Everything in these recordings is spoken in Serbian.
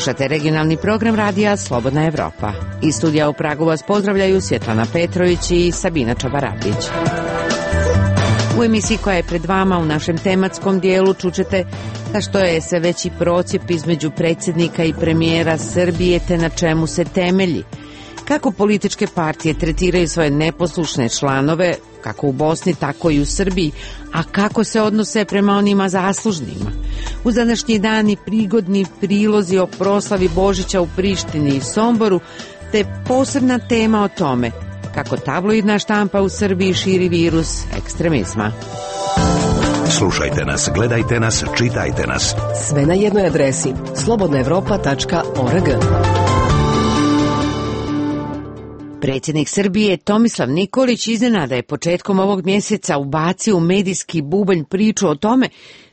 Slušate regionalni program radija Slobodna Evropa. Iz studija u Pragu vas pozdravljaju Svjetlana Petrović i Sabina Čabaragić. U emisiji koja je pred vama u našem tematskom dijelu čućete što je sve veći procjep između predsjednika i premijera Srbije te na čemu se temelji. Kako političke partije tretiraju svoje neposlušne članove, kako u Bosni, tako i u Srbiji, a kako se odnose prema onima zaslužnima. Uz današnji dan i prigodni prilozi o proslavi Božića u Prištini i Somboru, te posebna tema o tome kako tabloidna štampa u Srbiji širi virus ekstremizma. Slušajte nas, gledajte nas, čitajte nas. Sve na jednoj adresi slobodnaevropa.org. Predsjednik Srbije Tomislav Nikolić iznenada je početkom ovog mjeseca ubacio u medijski bubanj priču o tome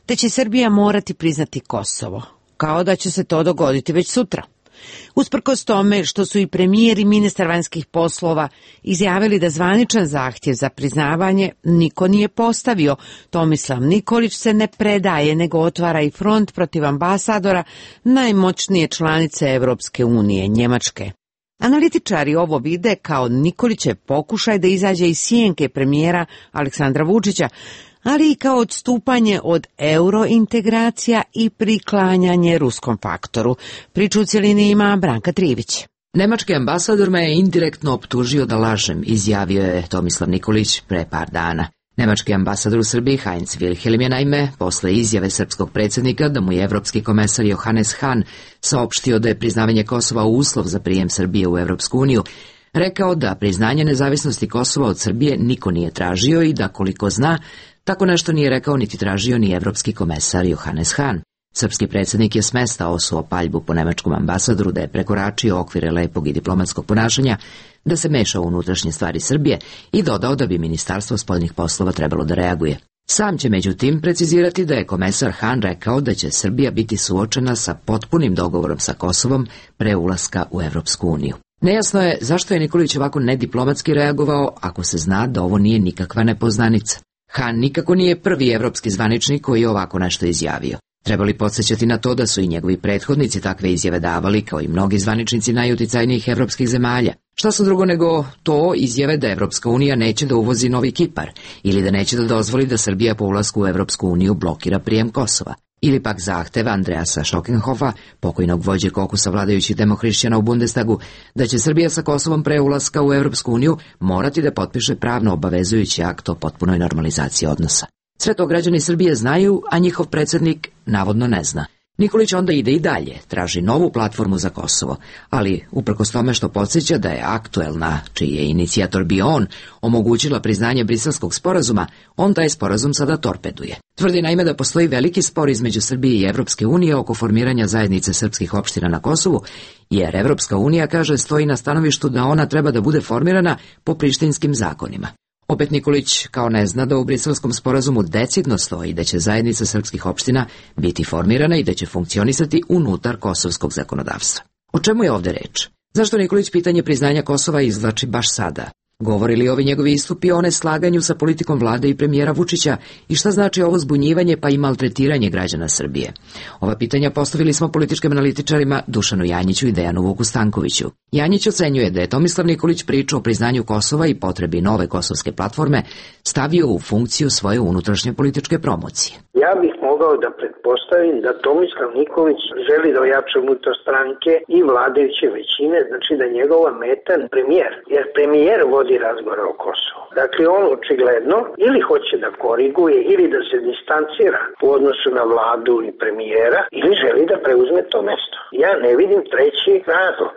da će Srbija morati priznati Kosovo, kao da će se to dogoditi već sutra. Usprkos tome što su i premijer i ministar vanjskih poslova izjavili da zvaničan zahtjev za priznavanje niko nije postavio, Tomislav Nikolić se ne predaje nego otvara i front protiv ambasadora najmoćnije članice Evropske unije, Njemačke. Analitičari ovo vide kao Nikolićev pokušaj da izađe iz sjenke premijera Aleksandra Vučića, ali i kao odstupanje od eurointegracija i priklanjanje ruskom faktoru. Priču u cjelini ima Branka Trivić. Nemački ambasador me je indirektno optužio da lažem, izjavio je Tomislav Nikolić pre par dana. Nemački ambasador u Srbiji Heinz Wilhelm je naime, posle izjave srpskog predsjednika da mu je evropski komesar Johannes Hahn saopštio da je priznavanje Kosova uslov za prijem Srbije u Evropsku uniju, rekao da priznanje nezavisnosti Kosova od Srbije niko nije tražio i da koliko zna, tako nešto nije rekao niti tražio ni evropski komesar Johannes Hahn. Srpski predsjednik je smesta osuo paljbu po nemačkom ambasadoru da je prekoračio okvire lepog i diplomatskog ponašanja, da se meša u unutrašnje stvari Srbije i dodao da bi Ministarstvo spoljnih poslova trebalo da reaguje. Sam će međutim precizirati da je komesar Hahn rekao da će Srbija biti suočena sa potpunim dogovorom sa Kosovom pre ulaska u Evropsku uniju. Nejasno je zašto je Nikolić ovako nediplomatski reagovao ako se zna da ovo nije nikakva nepoznanica. Hahn nikako nije prvi evropski zvaničnik koji je ovako nešto izjavio. Treba li podsjećati na to da su i njegovi prethodnici takve izjave davali, kao i mnogi zvaničnici najuticajnijih evropskih zemalja? Šta su drugo nego to izjave da Evropska unija neće da uvozi novi Kipar ili da neće da dozvoli da Srbija po ulasku u Evropsku uniju blokira prijem Kosova? Ili pak zahtev Andreasa Schockenhofa, pokojnog vođe kokusa vladajućih demohrišćana u Bundestagu, da će Srbija sa Kosovom pre ulaska u Evropsku uniju morati da potpiše pravno obavezujući akt o potpunoj normalizaciji odnosa. Sve to građani Srbije znaju, a njihov predsjednik navodno ne zna. Nikolić onda ide i dalje, traži novu platformu za Kosovo, ali uprkos tome što podsjeća da je aktuelna, čiji je inicijator bio on, omogućila priznanje Briselskog sporazuma, on taj sporazum sada torpeduje. Tvrdi naime da postoji veliki spor između Srbije i Evropske unije oko formiranja zajednice srpskih opština na Kosovu, jer Evropska unija, kaže, stoji na stanovištu da ona treba da bude formirana po prištinskim zakonima. Opet Nikolić kao ne zna da u Briselskom sporazumu decidno stoji da će zajednica srpskih opština biti formirana i da će funkcionisati unutar kosovskog zakonodavstva. O čemu je ovdje reč? Zašto Nikolić pitanje priznanja Kosova izvlači baš sada? Govori li ovi njegovi istupi o neslaganju sa politikom vlade i premijera Vučića i šta znači ovo zbunjivanje pa i maltretiranje građana Srbije? Ova pitanja postavili smo političkim analitičarima Dušanu Janjiću i Dejanu Vuku Stankoviću. Janjić ocenjuje da je Tomislav Nikolić priču o priznanju Kosova i potrebi nove kosovske platforme stavio u funkciju svoje unutrašnje političke promocije. Ja bih mogao da pretpostavim da Tomislav Nikolić želi da ojača unutar stranke i vladajuće većine, znači da njegova meta premijer, jer premijer vodi razgovor o Kosovu. Dakle, on očigledno ili hoće da koriguje ili da se distancira u odnosu na vladu i premijera ili želi da preuzme to mesto. Ja ne vidim treći razlog.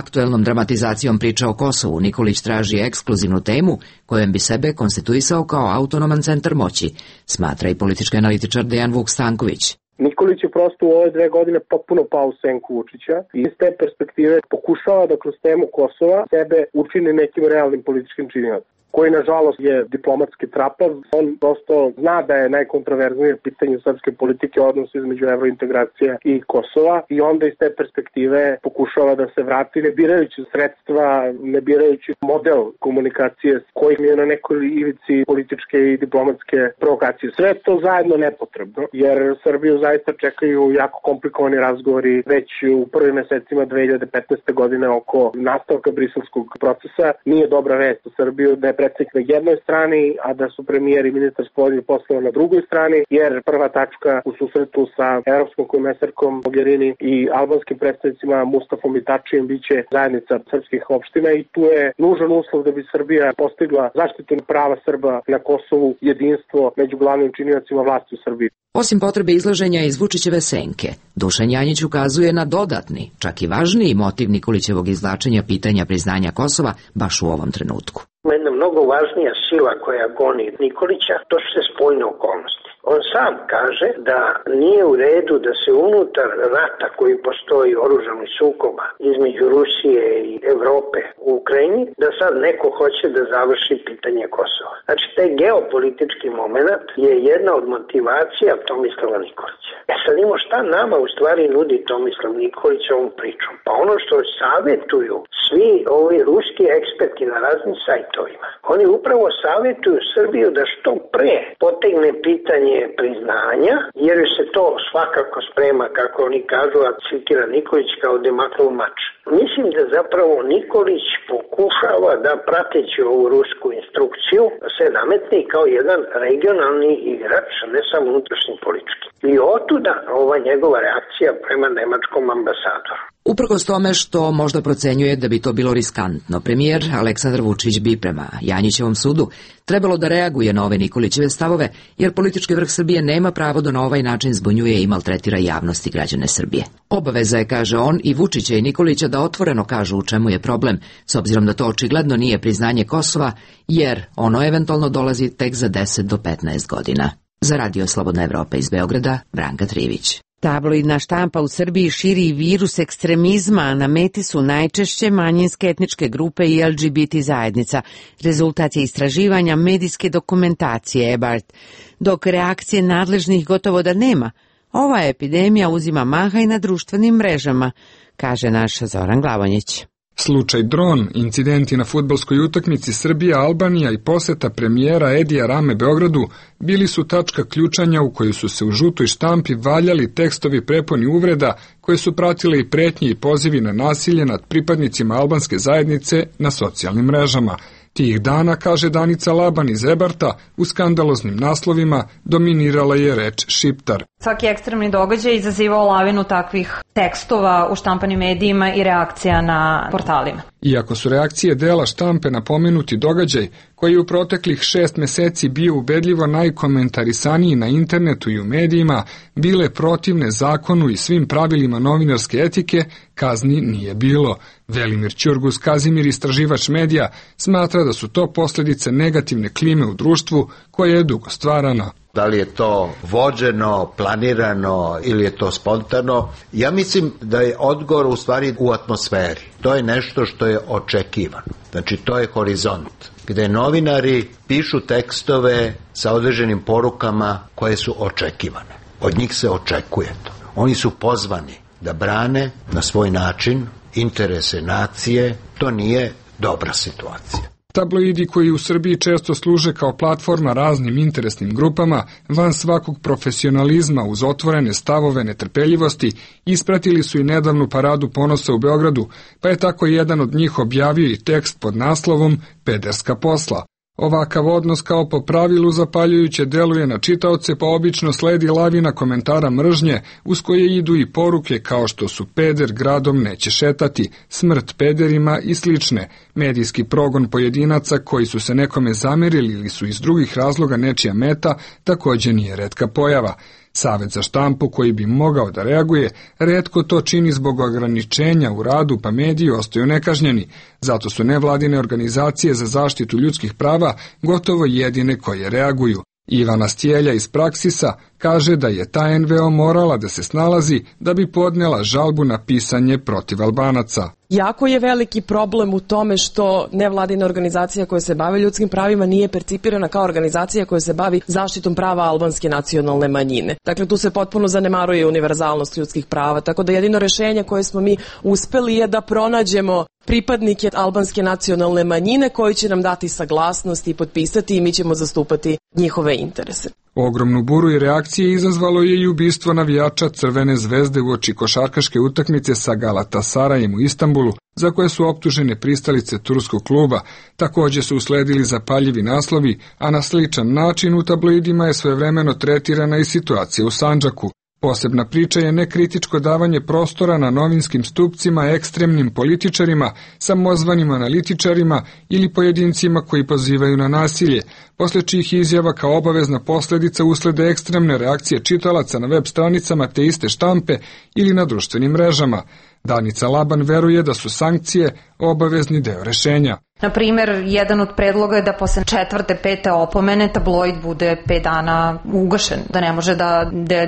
Aktuelnom dramatizacijom priča o Kosovu Nikolić traži ekskluzivnu temu kojom bi sebe konstituisao kao autonoman centar moći, smatra i politički analitičar Dejan Vuk Stanković. Nikolić je prosto u ove 2 godine potpuno pao u senku Vučića i iz te perspektive pokušava da kroz temu Kosova sebe učini nekim realnim političkim činiocem. koji nažalost je diplomatski trapav. On prosto zna da je najkontroverznije pitanje srpske politike odnos između evrointegracija i Kosova i onda iz te perspektive pokušava da se vrati ne birajući sredstva, ne birajući model komunikacije kojim je na nekoj ivici političke i diplomatske provokacije. Sve to zajedno nepotrebno, jer Srbiju zaista čekaju jako komplikovani razgovori već u prvim mesecima 2015. godine oko nastavka briselskog procesa. Nije dobra vest u Srbiju da je predsjednik na jednoj strani, a da su premijer i ministar spoljnih poslova na drugoj strani, jer prva tačka u susretu sa evropskom komesarkom Mogherini i albanskim predstavnicima Mustafom i Tačijem biće zajednica srpskih opština i tu je nužan uslov da bi Srbija postigla zaštitu prava Srba na Kosovu, jedinstvo među glavnim činiocima vlasti u Srbiji. Osim potrebe izlaženja iz Vučićeve senke, Dušan Janjić ukazuje na dodatni, čak i važniji motiv Nikolićevog izvlačenja pitanja priznanja Kosova baš u ovom trenutku. Jedna mnogo važnija sila koja goni Nikolića, to su se spoljne okolnosti. On sam kaže da nije u redu da se unutar rata koji postoji oružanih sukoba između Rusije i Evrope u Ukrajini, da sad neko hoće da završi pitanje Kosova. Znači, taj geopolitički moment je jedna od motivacija Tomislava Nikolića. Sad imamo šta nama u stvari nudi Tomislav Nikolić ovom pričom? Pa ono što savjetuju svi ovi ruski eksperti na raznim sajtovima, oni upravo savjetuju Srbiju da što pre potegne pitanje priznanja, jer se to svakako sprema, kako oni kažu, a citira Nikolić kao Demaklov mač. Mislim da zapravo Nikolić pokušava da, prateći ovu rusku instrukciju, se nametne kao jedan regionalni igrač, ne samo unutrašnji politički. I otuda ova njegova reakcija prema nemačkom ambasadoru. Uprkos tome što možda procenjuje da bi to bilo riskantno, premijer Aleksandar Vučić bi prema Janjićevom sudu trebalo da reaguje na ove Nikolićeve stavove, jer politički vrh Srbije nema pravo da na ovaj način zbunjuje i maltretira javnost i građane Srbije. Obaveza je, kaže on, i Vučića i Nikolića da otvoreno kažu u čemu je problem, s obzirom da to očigledno nije priznanje Kosova, jer ono eventualno dolazi tek za 10 do 15 godina. Za Radio Slobodna Evropa iz Beograda, Branka Trivić. Tabloidna štampa u Srbiji širi virus ekstremizma, a na meti su najčešće manjinske etničke grupe i LGBT zajednica. Rezultat je istraživanja medijske dokumentacije EBART. Dok reakcije nadležnih gotovo da nema, ova epidemija uzima maha i na društvenim mrežama, kaže naš Zoran Glavonjić. Slučaj dron, incidenti na fudbalskoj utakmici Srbija-Albanija i poseta premijera Edija Rame Beogradu bili su tačka ključanja u kojoj su se u žutoj štampi valjali tekstovi prepuni uvreda koje su pratile i pretnje i pozivi na nasilje nad pripadnicima albanske zajednice na socijalnim mrežama. Tih dana, kaže Danica Laban iz Ebarta, u skandaloznim naslovima dominirala je reč šiptar. Svaki ekstremni događaj izazivao lavinu takvih tekstova u štampanim medijima i reakcija na portalima. Iako su reakcije dela štampe na pomenuti događaj, koji je u proteklih 6 meseci bio ubedljivo najkomentarisaniji na internetu i u medijima, bile protivne zakonu i svim pravilima novinarske etike, kazni nije bilo. Velimir Ćurgus Kazimir, istraživač medija, smatra da su to posljedice negativne klime u društvu koje je dugo stvarano. Da li je to vođeno, planirano ili je to spontano? Ja mislim da je odgovor u stvari u atmosferi. To je nešto što je očekivano. Znači, to je horizont gde novinari pišu tekstove sa određenim porukama koje su očekivane. Od njih se očekuje to. Oni su pozvani da brane na svoj način interese nacije. To nije dobra situacija. Tabloidi koji u Srbiji često služe kao platforma raznim interesnim grupama, van svakog profesionalizma uz otvorene stavove netrpeljivosti, ispratili su i nedavnu paradu ponosa u Beogradu, pa je tako jedan od njih objavio i tekst pod naslovom Pederska posla. Ovakav odnos kao po pravilu zapaljujuće deluje na čitaoce, pa obično sledi lavina komentara mržnje uz koje idu i poruke kao što su peder gradom neće šetati, smrt pederima i slične. Medijski progon pojedinaca koji su se nekome zamerili ili su iz drugih razloga nečija meta također nije retka pojava. Savet za štampu koji bi mogao da reaguje, retko to čini zbog ograničenja u radu, pa mediji ostaju nekažnjeni. Zato su nevladine organizacije za zaštitu ljudskih prava gotovo jedine koje reaguju. Ivana Stjelja iz Praksisa kaže da je ta NVO morala da se snalazi da bi podnela žalbu na pisanje protiv Albanaca. Jako je veliki problem u tome što nevladina organizacija koja se bavi ljudskim pravima nije percipirana kao organizacija koja se bavi zaštitom prava albanske nacionalne manjine. Dakle, tu se potpuno zanemaruje univerzalnost ljudskih prava, tako da jedino rešenje koje smo mi uspeli je da pronađemo pripadnike albanske nacionalne manjine koji će nam dati saglasnost i potpisati i mi ćemo zastupati njihove interese. Ogromnu buru i reakcije izazvalo je i ubistvo navijača Crvene zvezde uoči košarkaške utakmice sa Galatasarajem u Istanbulu, za koje su optužene pristalice turskog kluba. Takođe su usledili zapaljivi naslovi, a na sličan način u tabloidima je svojevremeno tretirana i situacija u Sandžaku. Posebna priča je nekritičko davanje prostora na novinskim stupcima ekstremnim političarima, samozvanim analitičarima ili pojedincima koji pozivaju na nasilje, posle čijih izjava kao obavezna posledica uslede ekstremne reakcije čitalaca na web stranicama te iste štampe ili na društvenim mrežama. Danica Laban veruje da su sankcije obavezni deo rešenja. Na primer, jedan od predloga je da posle 4., 5. opomene tabloid bude 5 dana ugašen, da ne može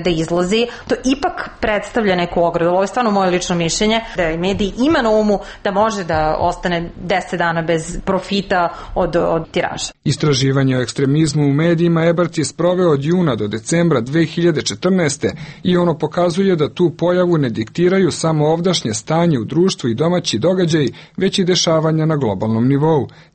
da izlazi. To ipak predstavlja neku ogradu. Ovo je stvarno moje lično mišljenje, da je medij ima na umu da može da ostane 10 dana bez profita od tiraža. Istraživanje o ekstremizmu u medijima Ebert je sproveo od juna do decembra 2014. i ono pokazuje da tu pojavu ne diktiraju samo ovdašnje stanje u društvu i domaći događaj, već i dešavanja na globalnom nivou.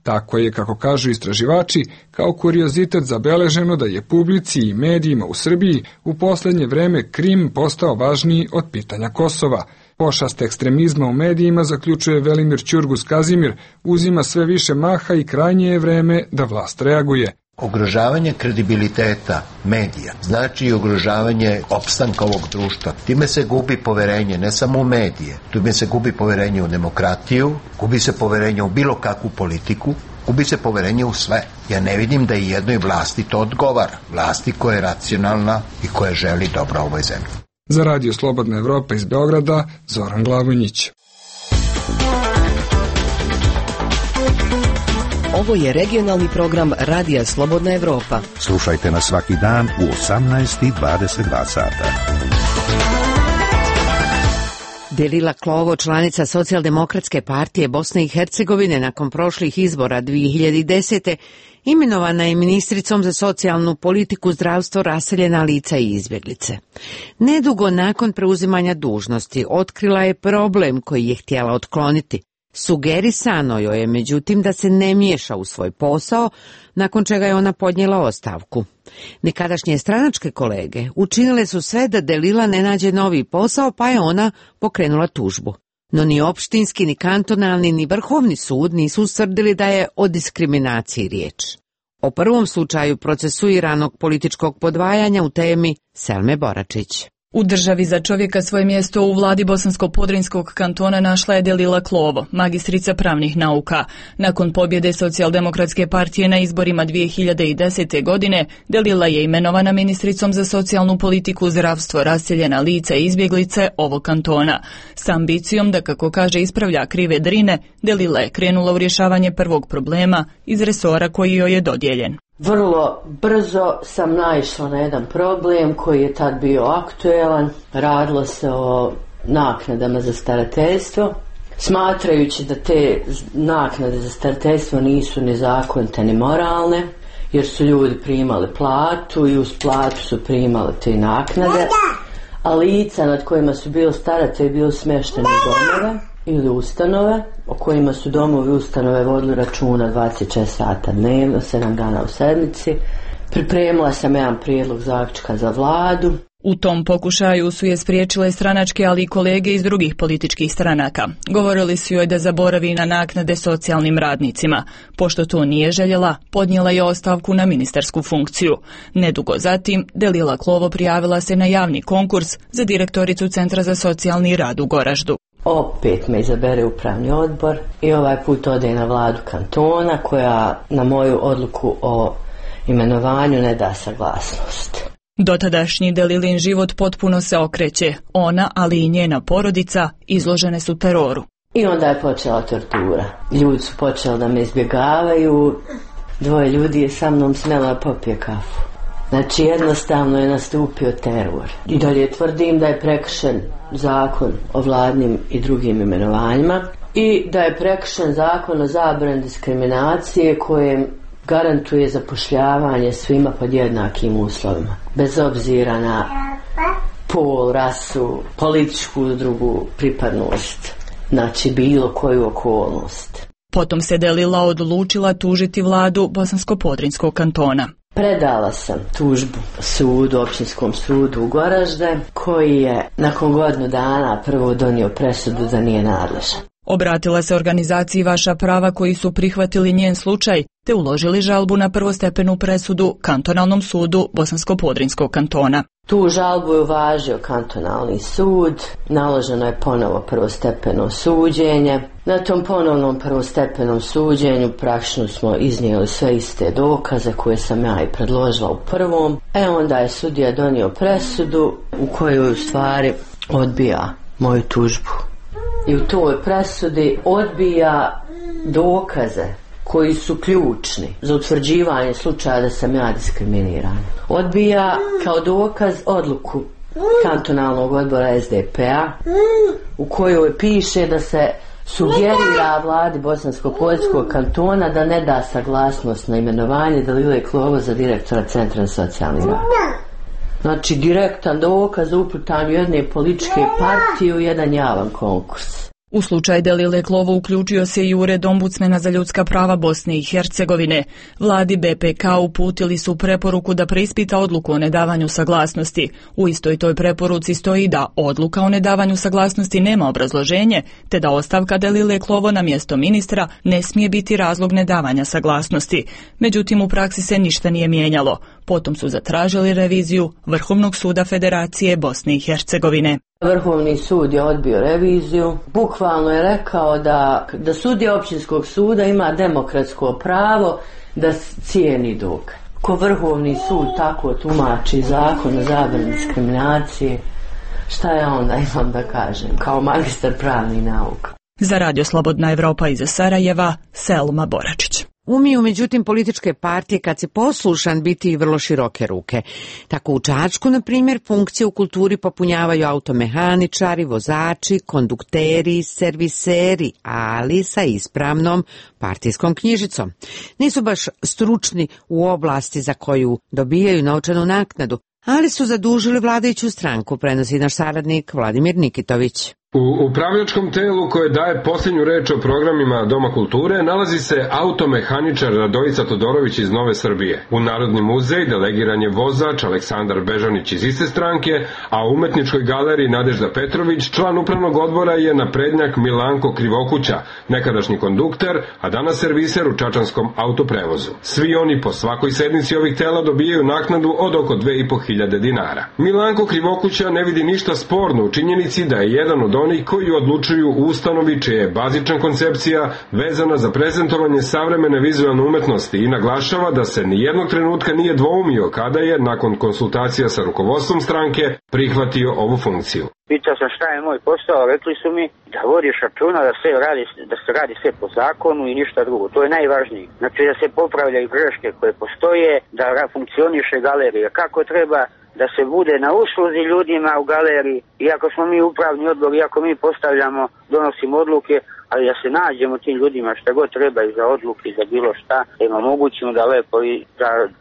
Tako je, kako kažu istraživači, kao kuriozitet zabeleženo da je publici i medijima u Srbiji u poslednje vreme Krim postao važniji od pitanja Kosova. Pošast ekstremizma u medijima, zaključuje Velimir Ćurgus-Kazimir, uzima sve više maha i krajnje je vreme da vlast reaguje. Ugrožavanje kredibiliteta medija znači i ugrožavanje opstanka ovog društva. Time se gubi poverenje ne samo u medije, time se gubi poverenje u demokratiju, gubi se poverenje u bilo kakvu politiku, gubi se poverenje u sve. Ja ne vidim da i jednoj vlasti to odgovara. Vlasti koja je racionalna i koja želi dobro ovoj zemlji. Za Radio Slobodna Evropa iz Beograda, Zoran Glavonjić. Ovo je regionalni program Radija Slobodna Evropa. Slušajte nas svaki dan u 18:22 sata. Delila Klovo, članica Socijaldemokratske partije Bosne i Hercegovine, nakon prošlih izbora 2010. imenovana je ministricom za socijalnu politiku, zdravstvo, raseljena lica i izbjeglice. Nedugo nakon preuzimanja dužnosti otkrila je problem koji je htjela otkloniti. Sugerisano joj je, međutim, da se ne miješa u svoj posao, nakon čega je ona podnijela ostavku. Nekadašnje stranačke kolege učinile su sve da Delila ne nađe novi posao, pa je ona pokrenula tužbu. No ni opštinski, ni kantonalni, ni vrhovni sud nisu ustvrdili da je o diskriminaciji riječ. O prvom slučaju procesuiranog političkog podvajanja u temi Selme Boračić. U državi za čovjeka svoje mjesto u vladi Bosansko-Podrinjskog kantona našla je Delila Klovo, magistrica pravnih nauka. Nakon pobjede Socijaldemokratske partije na izborima 2010. godine, Delila je imenovana ministricom za socijalnu politiku, zdravstvo, raseljena lica i izbjeglice ovog kantona. S ambicijom da, kako kaže, ispravlja krive drine, Delila je krenula u rješavanje prvog problema iz resora koji joj je dodijeljen. Vrlo brzo sam naišla na jedan problem koji je tad bio aktuelan. Radilo se o naknadama za starateljstvo. Smatrajući da te naknade za starateljstvo nisu ni zakonite ni moralne, jer su ljudi primali platu i uz platu su primali te naknade, a lica nad kojima su bili staratelji bili smješteni u domove ili ustanove, o kojima su domovi ustanove vodili računa 24 sata dnevno, 7 dana u sedmici. Pripremila sam jedan prijedlog zaključka za vladu. U tom pokušaju su je spriječile stranačke, ali i kolege iz drugih političkih stranaka. Govorili su joj da zaboravi na naknade socijalnim radnicima. Pošto to nije željela, podnijela je ostavku na ministarsku funkciju. Nedugo zatim, Delila Klovo prijavila se na javni konkurs za direktoricu Centra za socijalni rad u Goraždu. Opet me izabere upravni odbor i ovaj put ode na vladu kantona koja na moju odluku o imenovanju ne da saglasnost. Dotadašnji Delilin život potpuno se okreće. Ona, ali i njena porodica, izložene su teroru. I onda je počela tortura. Ljudi su počeli da me izbjegavaju. 2 ljudi je sa mnom smjela da popije kafu. Znači jednostavno je nastupio teror. I dalje tvrdim da je prekršen zakon o vladnim i drugim imenovanjima i da je prekršen zakon o zabrani diskriminacije kojem garantuje zapošljavanje svima pod jednakim uslovima, bez obzira na pol, rasu, političku i drugu pripadnost, znači bilo koju okolnost. Potom se Delila odlučila tužiti vladu Bosansko-Podrinjskog kantona. Predala sam tužbu sudu, općinskom sudu u Goražde, koji je nakon godinu dana prvo donio presudu da nije nadležan. Obratila se organizaciji Vaša prava koji su prihvatili njen slučaj te uložili žalbu na prvostepenu presudu Kantonalnom sudu Bosansko-Podrinjskog kantona. Tu žalbu je uvažio kantonalni sud, naloženo je ponovo prvostepeno suđenje. Na tom ponovnom prvostepenom suđenju praktično smo iznijeli sve iste dokaze koje sam ja i predložila u prvom. Onda je sudija donio presudu u kojoj u stvari odbija moju tužbu. I u toj presudi odbija dokaze koji su ključni za utvrđivanje slučaja da sam ja diskriminiran. Odbija kao dokaz odluku kantonalnog odbora SDP-a u kojoj piše da se sugerira vladi Bosansko-Podrinjskog kantona da ne da saglasnost na imenovanje Delile Klovo za direktora Centra za socijalni rad. Znači direktan dokaz o uplitanju jedne političke partije u jedan javan konkurs. U slučaj Delile Klovo uključio se i Ured ombudsmena za ljudska prava Bosne i Hercegovine. Vladi BPK uputili su preporuku da preispita odluku o nedavanju saglasnosti. U istoj toj preporuci stoji da odluka o nedavanju saglasnosti nema obrazloženje, te da ostavka Delile Klovo na mjesto ministra ne smije biti razlog nedavanja saglasnosti. Međutim, u praksi se ništa nije mijenjalo. Potom su zatražili reviziju Vrhovnog suda Federacije Bosne i Hercegovine. Vrhovni sud je odbio reviziju. Bukvalno je rekao da sudija općinskog suda ima demokratsko pravo da cijeni dokaz. Ko Vrhovni sud tako tumači zakon o zabrani diskriminacije, šta ja onda imam da kažem kao magistar pravnih nauka? Za Radio Slobodna Evropa iz Sarajeva, Selma Boračić. Umiju, međutim, političke partije kad se poslušan biti i vrlo široke ruke. Tako u Čačku, na primjer, funkcije u kulturi popunjavaju automehaničari, vozači, kondukteri, serviseri, ali sa ispravnom partijskom knjižicom. Nisu baš stručni u oblasti za koju dobijaju novčanu naknadu, ali su zadužili vladajuću stranku, prenosi naš saradnik Vladimir Nikitović. U upravljačkom telu koje daje posljednju reč o programima Doma kulture nalazi se automehaničar Radojica Todorović iz Nove Srbije. U Narodni muzej delegiran je vozač Aleksandar Bežanić iz iste stranke, a u umetničkoj galeriji Nadežda Petrović član upravnog odbora je naprednjak Milanko Krivokuća, nekadašnji kondukter, a danas serviser u čačanskom autoprevozu. Svi oni po svakoj sednici ovih tela dobijaju naknadu od oko 2.500 dinara. Milanko Krivokuća ne vidi ništa sporno u činjenici da je jedan od onih koji odlučuju u ustanovi čija je bazična koncepcija vezana za prezentovanje savremene vizualne umetnosti i naglašava da se nijednog trenutka nije dvoumio kada je, nakon konsultacija sa rukovodstvom stranke, prihvatio ovu funkciju. Pitao sam šta je moj posao, rekli su mi da vodiš računa da se radi sve po zakonu i ništa drugo. To je najvažnije. Znači da se popravljaju greške koje postoje, da funkcioniše galerija kako treba, da se bude na usluzi ljudima u galeriji, iako smo mi upravni odbor, iako mi postavljamo, donosimo odluke, ali da se nađemo tim ljudima šta god treba i za odluke i za bilo šta, da im omogućimo da lepo i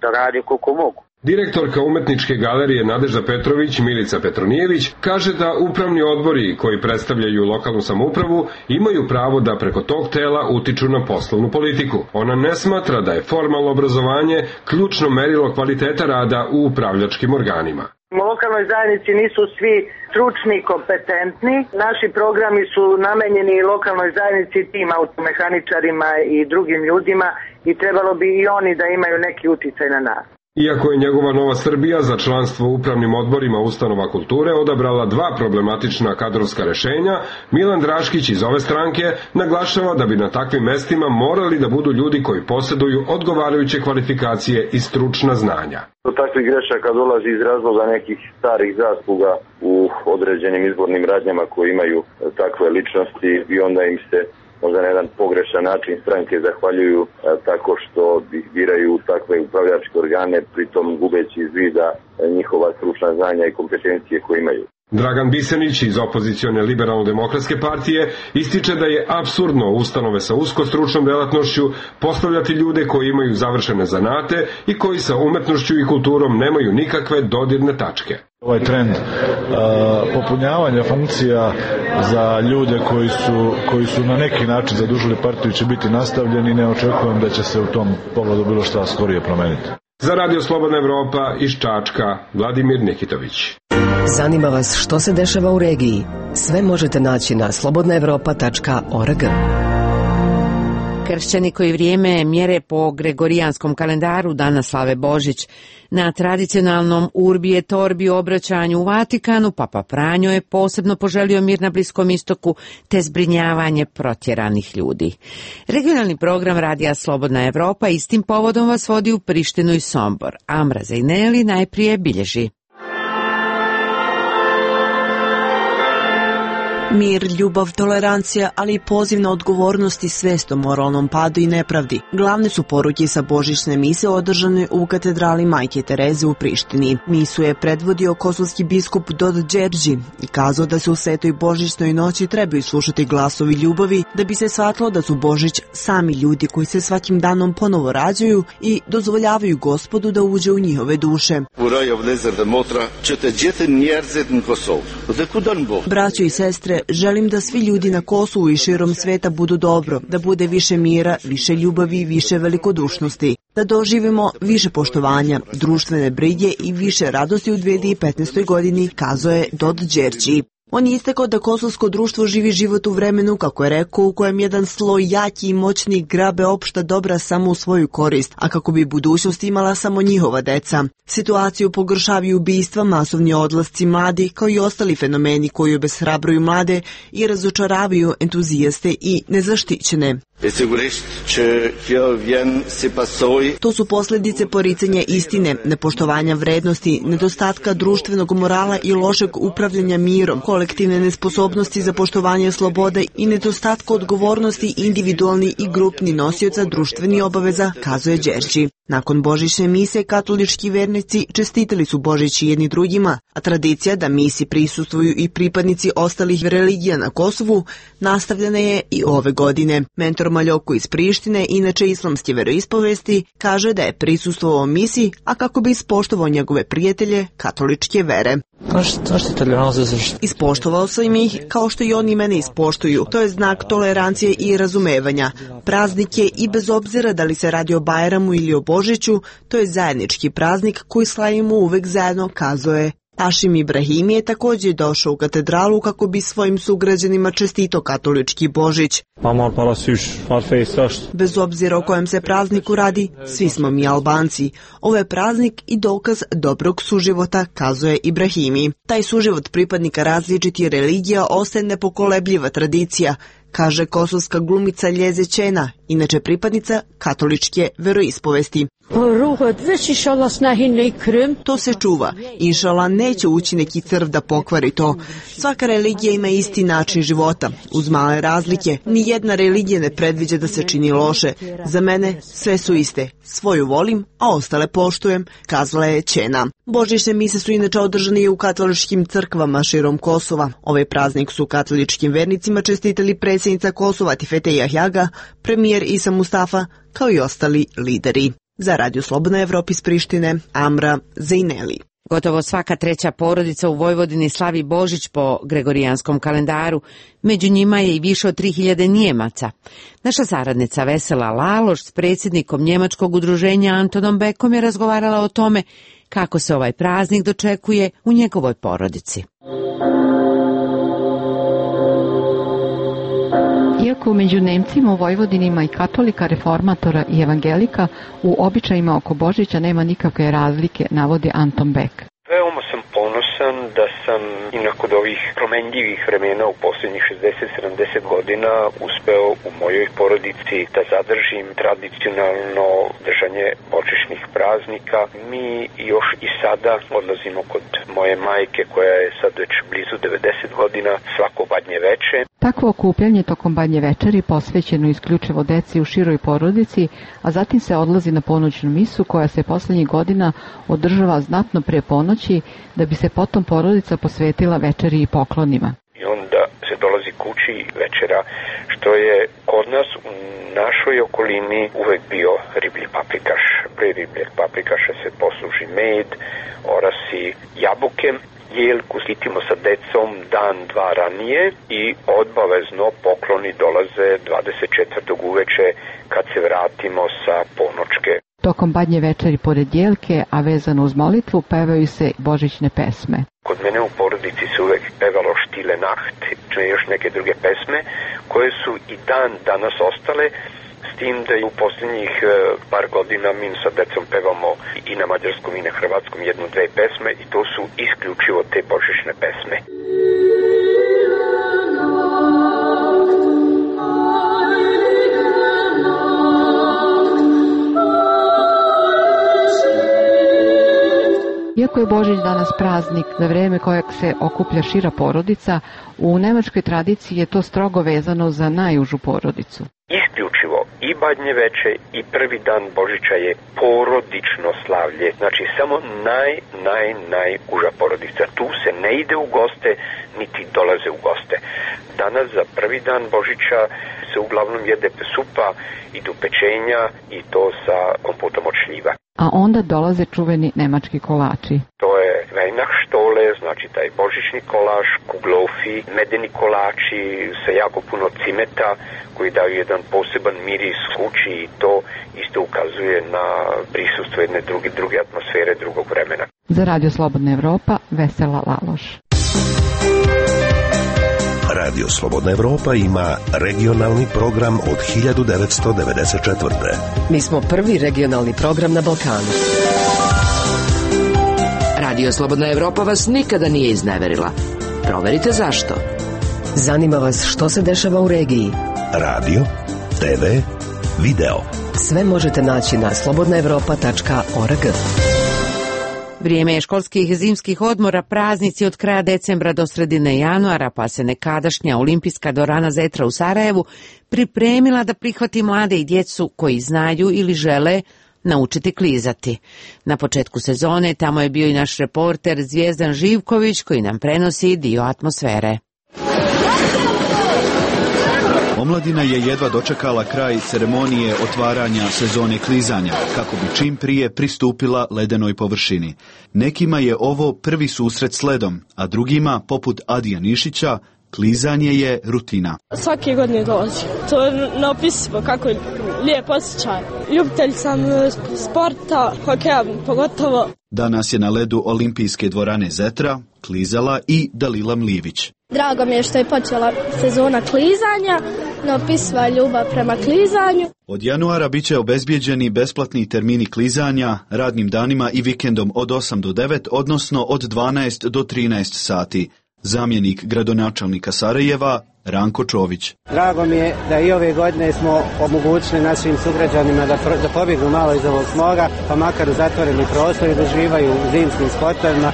da rade koliko mogu. Direktorka umetničke galerije Nadežda Petrović, Milica Petronijević, kaže da upravni odbori koji predstavljaju lokalnu samoupravu imaju pravo da preko tog tela utiču na poslovnu politiku. Ona ne smatra da je formalno obrazovanje ključno merilo kvaliteta rada u upravljačkim organima. U lokalnoj zajednici nisu svi stručni i kompetentni. Naši programi su namenjeni lokalnoj zajednici, tim automehaničarima i drugim ljudima i trebalo bi i oni da imaju neki uticaj na nas. Iako je njegova Nova Srbija za članstvo u upravnim odborima ustanova kulture odabrala dva problematična kadrovska rešenja, Milan Draškić iz ove stranke naglašava da bi na takvim mestima morali da budu ljudi koji posjeduju odgovarajuće kvalifikacije i stručna znanja. Do takvih grešaka dolazi iz razloga nekih starih zasluga u određenim izbornim radnjama koji imaju takve ličnosti i onda im se možda na jedan pogrešan način stranke zahvaljuju tako što biraju takve upravljačke organe, pritom gubeći iz vida njihova stručna znanja i kompetencije koje imaju. Dragan Bisenić iz opozicione liberalno-demokratske partije ističe da je apsurdno ustanove sa usko stručnom delatnošću postavljati ljude koji imaju završene zanate i koji sa umetnošću i kulturom nemaju nikakve dodirne tačke. Ovaj trend popunjavanja funkcija za ljude koji su na neki način zadužili partiju će biti nastavljen i ne očekujem da će se u tom pogledu bilo šta skorije promeniti. Za Radio Slobodna Evropa iz Čačka, Vladimir Nikitović. Zanima vas što se dešava u regiji? Sve možete naći na slobodnaevropa.org. Kršćani koji vrijeme mjere po gregorijanskom kalendaru danas slave Božić. Na tradicionalnom Urbi et Orbi obraćanju u Vatikanu Papa Franjo je posebno poželio mir na Bliskom istoku te zbrinjavanje protjeranih ljudi. Regionalni program Radija Slobodna Evropa istim povodom vas vodi u Prištinu i Sombor. Amra Zejneli najprije bilježi. Mir, ljubav, tolerancija, ali i poziv na odgovornost i svest o moralnom padu i nepravdi. Glavne su poruke sa božićne mise održane u katedrali Majke Tereze u Prištini. Misu je predvodio kosovski biskup Dod Đerđi i kazao da se u svetoj božićnoj noći trebaju slušati glasovi ljubavi da bi se shvatilo da su Božić sami ljudi koji se svakim danom ponovo rađaju i dozvoljavaju Gospodu da uđe u njihove duše. Braćo i sestre, želim da svi ljudi na Kosovu i širom sveta budu dobro, da bude više mira, više ljubavi, više velikodušnosti, da doživimo više poštovanja, društvene brige i više radosti u 2015. godini, kazao je Dod Đerđi. On je istakao da kosovsko društvo živi život u vremenu, kako je rekao, u kojem jedan sloj jaki i moćni grabe opšta dobra samo u svoju korist, a kako bi budućnost imala samo njihova deca. Situaciju pogoršavaju ubistva, masovni odlasci mladih, kao i ostali fenomeni koji obeshrabruju mlade i razočaravaju entuzijaste i nezaštićene. To su posljedice poricanja istine, nepoštovanja vrednosti, nedostatka društvenog morala i lošeg upravljanja mirom, kolektivne nesposobnosti za poštovanje slobode i nedostatka odgovornosti individualni i grupni nosioca društvenih obaveza, kazuje Đerđi. Nakon božićne mise, katolički vernici čestitali su Božić jedni drugima, a tradicija da misi prisustvuju i pripadnici ostalih religija na Kosovu nastavljena je i ove godine. Mentor Maljoko iz Prištine, inače islamske veroispovesti, kaže da je prisustvovao misi, a kako bi ispoštovao njegove prijatelje katoličke vere. Ispoštovao sam ih kao što i oni mene ispoštuju. To je znak tolerancije i razumevanja. Praznik je i bez obzira da li se radi o Bajramu ili o Božiću, to je zajednički praznik koji slavimo uvek zajedno, kazao je. Hašim Ibrahimi je također došao u katedralu kako bi svojim sugrađanima čestitao katolički Božić. Bez obzira o kojem se prazniku radi, svi smo mi Albanci. Ovo je praznik i dokaz dobrog suživota, kazuje Ibrahimi. Taj suživot pripadnika različitih religija ostaje nepokolebljiva tradicija, kaže kosovska glumica Ljeze Čena, inače pripadnica katoličke veroispovesti. To se čuva. Inšala neće ući neki crv da pokvari to. Svaka religija ima isti način života, uz male razlike. Nijedna religija ne predviđa da se čini loše. Za mene sve su iste. Svoju volim, a ostale poštujem, kazala je Čena. Božićne mise su inače održane i u katoličkim crkvama širom Kosova. Ovaj praznik su katoličkim vernicima čestitali predsjednica Kosova Tifete Jahjaga, premijer Isa Mustafa, kao i ostali lideri. Za Radio Slobodna Evropa iz Prištine, Amra Zejneli. Gotovo svaka treća porodica u Vojvodini slavi Božić po gregorijanskom kalendaru. Među njima je i više od 3000 Njemaca. Naša saradnica Vesela Laloš s predsjednikom njemačkog udruženja Antonom Bekom je razgovarala o tome kako se ovaj praznik dočekuje u njegovoj porodici. Iako među Nemcima u Vojvodini ima i katolika, reformatora i evangelika, u običajima oko Božića nema nikakve razlike, navodi Anton Beck. Veoma sam ponosan ponosan da sam i nakon ovih promenljivih vremena u posljednjih 60-70 godina uspeo u mojoj porodici da zadržim tradicionalno držanje božićnih praznika. Mi još i sada odlazimo kod moje majke koja je sad već blizu 90 godina svako Badnje veče. Takvo okupljanje tokom Badnje večeri posvećeno isključivo deci u široj porodici, a zatim se odlazi na ponoćnu misu koja se poslednjih godina održava znatno pre ponoći, da bi se potom porodica posvetila večeri i poklonima. I onda se dolazi kući večera, što je kod nas u našoj okolini uvek bio riblji paprikaš. Pre ribljeg paprikaša se posluži med, orasi, jabuke. Jelku skitimo sa decom dan, dva ranije i obavezno pokloni dolaze 24. uveče kad se vratimo sa ponočke. Tokom Badnje večeri pored jelke, a vezano uz molitvu, pevaju se božićne pesme. Kod mene u porodici se uvek pevalo Stille Nacht, i još neke druge pesme koje su i dan danas ostale, s tim da je u posljednjih par godina mi sa decom pevamo i na mađarskom i na hrvatskom jednu, dve pesme i to su isključivo te božićne pesme. Iako je Božić danas praznik za vreme kojeg se okuplja šira porodica, u nemačkoj tradiciji je to strogo vezano za najužu porodicu. Isključivo i Badnje veče i prvi dan Božića je porodično slavlje, znači samo najuža porodica. Tu se ne ide u goste, niti dolaze u goste. Danas za prvi dan Božića se uglavnom jede supa, idu pečenja i to sa kompotom od šljiva. A onda dolaze čuveni nemački kolači. To je Weihnachtsstole, znači taj božićni kolač, kuglofi, medeni kolači sa jako puno cimeta koji daju jedan poseban miris kući i to isto ukazuje na prisustvo jedne druge atmosfere, drugog vremena. Za Radio Slobodna Evropa, Vesela Laloš. Radio Slobodna Evropa ima regionalni program od 1994. Mi smo prvi regionalni program na Balkanu. Radio Slobodna Evropa vas nikada nije izneverila. Proverite zašto. Zanima vas što se dešava u regiji. Radio, TV, video. Sve možete naći na slobodnaevropa.org. Vrijeme je školskih zimskih odmora, praznici od kraja decembra do sredine januara, pa se nekadašnja olimpijska dvorana Zetra u Sarajevu pripremila da prihvati mlade i djecu koji znaju ili žele naučiti klizati. Na početku sezone tamo je bio i naš reporter Zvijezdan Živković koji nam prenosi dio atmosfere. Omladina je jedva dočekala kraj ceremonije otvaranja sezone klizanja, kako bi čim prije pristupila ledenoj površini. Nekima je ovo prvi susret s ledom, a drugima, poput Adija Nišića, klizanje je rutina. Svake godine dolazim. To je neopisivo, kako je lijep osjećaj. Ljubitelj sam sporta, hokeja pogotovo. Danas je na ledu olimpijske dvorane Zetra klizala i Dalila Mlivić. Drago mi je što je počela sezona klizanja, neopisiva ljubav prema klizanju. Od januara bit će obezbijeđeni besplatni termini klizanja radnim danima i vikendom od 8 do 9, odnosno od 12 do 13 sati. Zamjenik gradonačelnika Sarajeva, Ranko Čović. Drago mi je da i ove godine smo omogućili našim sugrađanima da pobjegnu malo iz ovog smoga, pa makar u zatvoreni prostor i da uživaju u zimskim sportovima.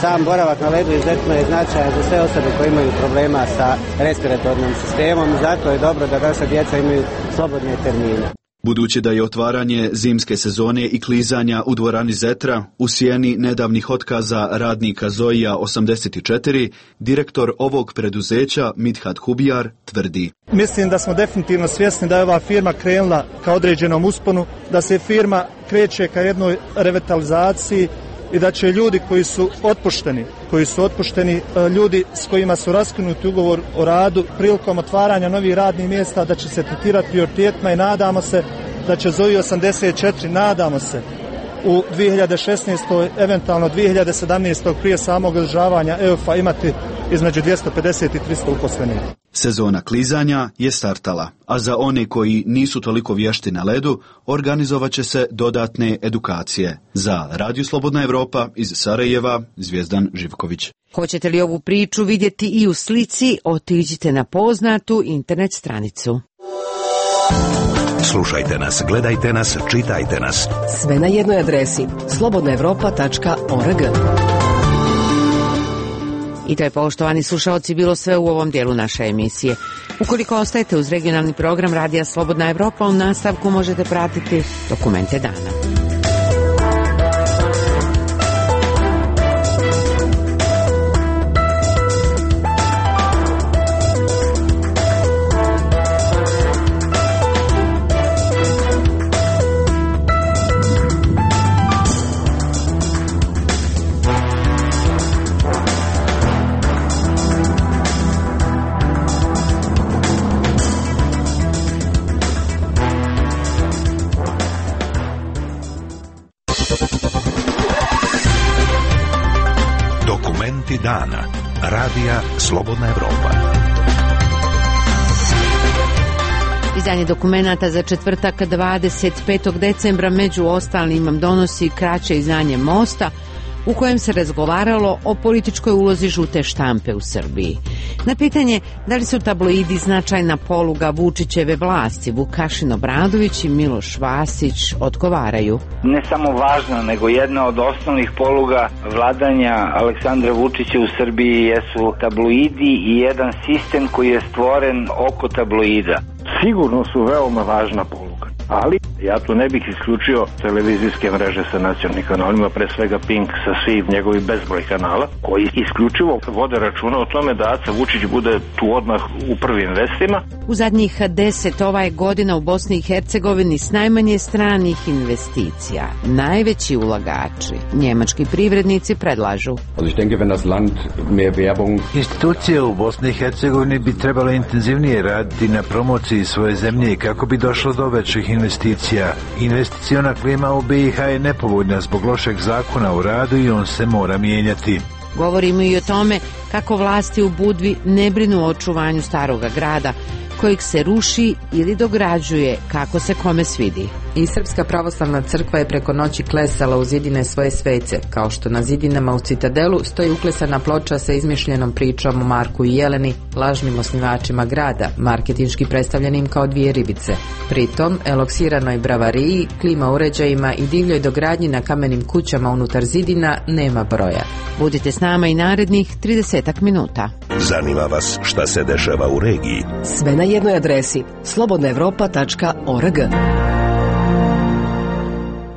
Sam boravak na ledu izuzetno je značajan za sve osobe koje imaju problema sa respiratornim sistemom, zato je dobro da naša djeca imaju slobodne termine. Budući da je otvaranje zimske sezone i klizanja u dvorani Zetra u sjeni nedavnih otkaza radnika Zoija 84, direktor ovog preduzeća Midhat Hubijar tvrdi. Mislim da smo definitivno svjesni da je ova firma krenula ka određenom usponu, da se firma kreće ka jednoj revitalizaciji i da će ljudi koji su otpušteni, ljudi s kojima su raskinuti ugovor o radu, prilikom otvaranja novih radnih mjesta, da će se tretirati prioritetima i nadamo se da će Zoji 84, nadamo se, u 2016. eventualno 2017. prije samog održavanja EUF-a imati između 250 i 300 uposlenih. Sezona klizanja je startala, a za one koji nisu toliko vješti na ledu, organizovat će se dodatne edukacije. Za Radio Slobodna Evropa iz Sarajeva, Zvijezdan Živković. Hoćete li ovu priču vidjeti i u slici, otiđite na poznatu internet stranicu. Slušajte nas, gledajte nas, čitajte nas. Sve na jednoj adresi slobodnaevropa.org. I to je, poštovani slušaoci, bilo sve u ovom dijelu naše emisije. Ukoliko ostajete uz regionalni program Radija Slobodna Evropa, u nastavku možete pratiti Dokumente dana. Dana. Radija Slobodna Evropa. Izdanje dokumenata za četvrtak 25. decembra među ostalim donosi kraće izdanje Mosta, u kojem se razgovaralo o političkoj ulozi žute štampe u Srbiji. Na pitanje da li su tabloidi značajna poluga Vučićeve vlasti, Vukašin Obradović i Miloš Vasić odgovaraju. Ne samo važna, nego jedna od osnovnih poluga vladanja Aleksandra Vučića u Srbiji jesu tabloidi i jedan sistem koji je stvoren oko tabloida. Sigurno su veoma važna poluga, ali ja tu ne bih isključio televizijske mreže sa nacionalnim kanalima, pre svega Pink sa svih njegovih bezbroj kanala, koji isključivo vode računa o tome da Aca Vučić bude tu odmah u prvim vestima. U zadnjih 10 godina u Bosni i Hercegovini s najmanje stranih investicija, najveći ulagači, njemački privrednici predlažu. Institucije u Bosni i Hercegovini bi trebale intenzivnije raditi na promociji svoje zemlje kako bi došlo do većih investicija. Investiciona klima u BiH je nepovoljna zbog lošeg zakona o radu i on se mora mijenjati. Govorimo i o tome kako vlasti u Budvi ne brinu o očuvanju staroga grada, kojeg se ruši ili dograđuje kako se kome svidi. I Srpska pravoslavna crkva je preko noći klesala u zidine svoje svece, kao što na zidinama u Citadelu stoji uklesana ploča sa izmišljenom pričom o Marku i Jeleni, lažnim osnivačima grada, marketinški predstavljenim kao dvije ribice. Pritom, eloksiranoj bravariji, klima uređajima i divljoj dogradnji na kamenim kućama unutar zidina nema broja. Budite s nama i narednih 30 minuta. Zanima vas šta se dešava u regiji? Sve na jednoj adresi slobodnaevropa.org.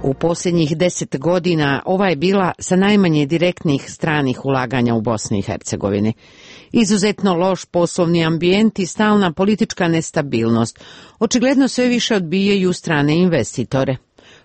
U posljednjih 10 godina ova je bila sa najmanje direktnih stranih ulaganja u Bosni i Hercegovini. Izuzetno loš poslovni ambijent i stalna politička nestabilnost očigledno sve više odbijaju strane investitore.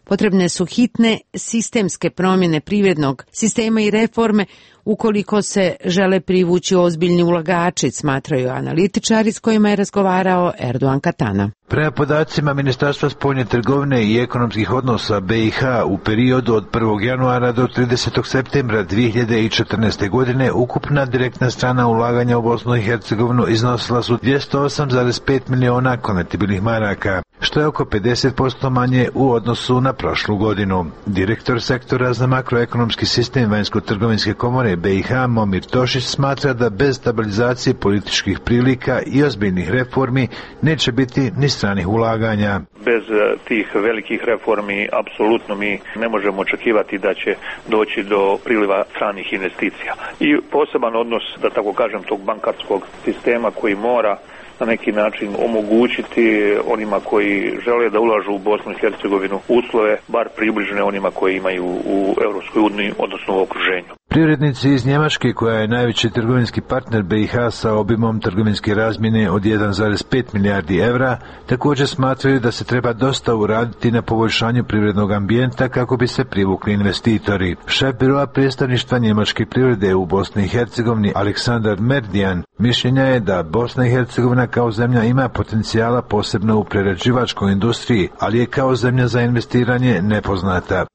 Potrebne su hitne sistemske promjene privrednog sistema i reforme ukoliko se žele privući ozbiljni ulagači, smatraju analitičari s kojima je razgovarao Erdogan Katana. Prema podacima Ministarstva spoljne trgovine i ekonomskih odnosa BiH u periodu od 1. januara do 30. septembra 2014. godine ukupna direktna strana ulaganja u Bosnu i Hercegovinu iznosila su 208,5 miliona konvertibilnih maraka, što je oko 50% manje u odnosu na prošlu godinu. Direktor sektora za makroekonomski sistem Vanjsko-trgovinske komore BiH Momir Tošić smatra da bez stabilizacije političkih prilika i ozbiljnih reformi neće biti ni stranih ulaganja. Bez tih velikih reformi apsolutno mi ne možemo očekivati da će doći do priliva stranih investicija. I poseban odnos, da tako kažem, tog bankarskog sistema koji mora na neki način omogućiti onima koji žele da ulažu u Bosnu i Hercegovinu uslove bar približne onima koji imaju u Europskoj uniji, odnosno u okruženju. Privrednici iz Njemačke, koja je najveći trgovinski partner BiH sa obimom trgovinske razmjene od 1,5 milijardi evra, također smatraju da se treba dosta uraditi na poboljšanju privrednog ambijenta kako bi se privukli investitori. Šef biroa predstavništva njemačke privrede u Bosni i Hercegovini Aleksandar Merdijan mišljenja je da Bosna i Hercegovina kao zemlja ima potencijala posebno u prerađivačkoj industriji, ali je kao zemlja za investiranje nepoznata.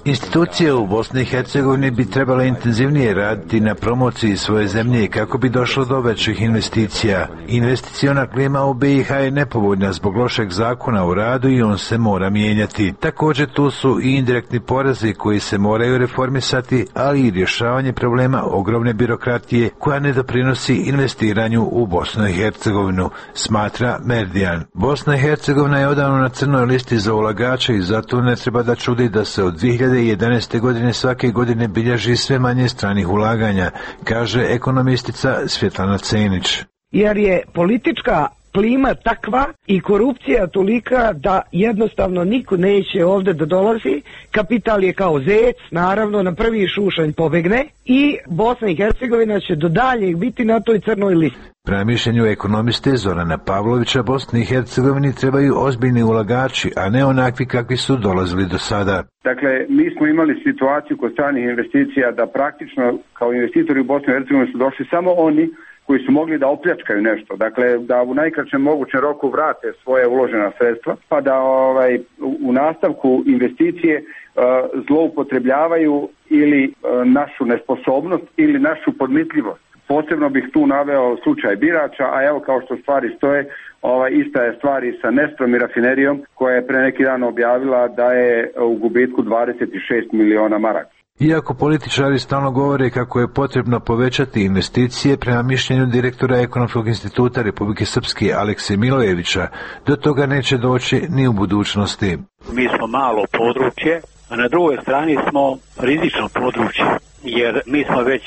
Institucije u Bosni i Hercegovini bi trebale intenzivnije raditi na promociji svoje zemlje kako bi došlo do većih investicija. Investiciona klima u BiH je nepovoljna zbog lošeg zakona o radu i on se mora mijenjati. Također tu su i indirektni porezi koji se moraju reformisati, ali i rješavanje problema ogromne birokratije koja ne doprinosi investiranju u Bosnu i Hercegovinu, smatra Merdijan. Bosna i Hercegovina je odavno na crnoj listi za ulagače i zato ne treba da čudi da se od 2011. godine svake godine bilježi sve manje stranih ulaganja, kaže ekonomistica Svjetlana Cenić. Jer je politička klima takva i korupcija tolika da jednostavno niko neće ovdje da dolazi. Kapital je kao zec, naravno na prvi šušanj pobegne i Bosna i Hercegovina će do daljeg biti na toj crnoj listi. Prema mišljenju ekonomiste Zorana Pavlovića, Bosni i Hercegovini trebaju ozbiljni ulagači, a ne onakvi kakvi su dolazili do sada. Dakle, mi smo imali situaciju kod stranih investicija da praktično kao investitori u Bosni i Hercegovini su došli samo oni koji su mogli da opljačkaju nešto, dakle da u najkraćem mogućem roku vrate svoje uložena sredstva, pa da u nastavku investicije zloupotrebljavaju ili našu nesposobnost ili našu podmitljivost. Posebno bih tu naveo slučaj Birača, a evo kao što stvari stoje, ista je stvar i sa Nestrom i rafinerijom koja je pre neki dan objavila da je u gubitku 26 miliona maraka. Iako političari stalno govore kako je potrebno povećati investicije, prema mišljenju direktora Ekonomskog instituta Republike Srpske Alekse Milojevića, do toga neće doći ni u budućnosti. Mi smo malo područje, a na drugoj strani smo rizično područje, jer mi smo već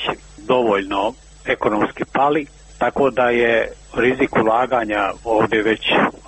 dovoljno ekonomski pali, tako da je rizik ulaganja ovdje već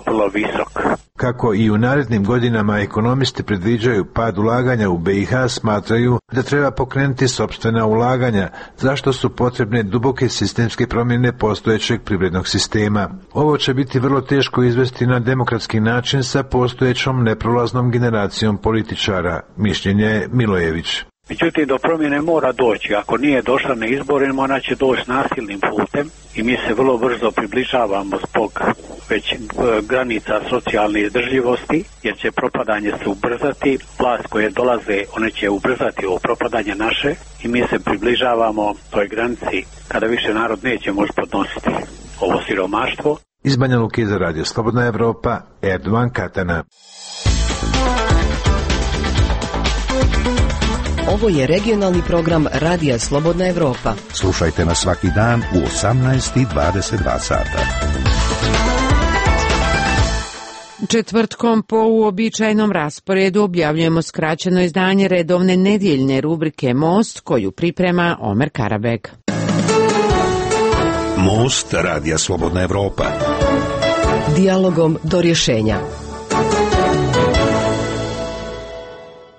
vrlo visok. Kako i u narednim godinama ekonomisti predviđaju pad ulaganja u BiH, smatraju da treba pokrenuti sopstvena ulaganja, zašto su potrebne duboke sistemske promjene postojećeg privrednog sistema. Ovo će biti vrlo teško izvesti na demokratski način sa postojećom neprolaznom generacijom političara, mišljenje je Milojević. Međutim, do promjene mora doći. Ako nije došla na izborima, ona će doći nasilnim putem i mi se vrlo brzo približavamo zbog već granica socijalne izdržljivosti, jer će propadanje se ubrzati. Vlast koje dolaze, one će ubrzati ovo propadanje naše i mi se približavamo toj granici kada više narod neće moći podnositi ovo siromaštvo. Iz Banja Luke za Radio Slobodna Evropa, Erdovan Katana. Ovo je regionalni program Radija Slobodna Evropa. Slušajte nas svaki dan u 18:22 sata. Četvrtkom po uobičajenom rasporedu objavljujemo skraćeno izdanje redovne nedjeljne rubrike Most, koju priprema Omer Karabek. Most Radija Slobodna Evropa. Dijalogom do rješenja.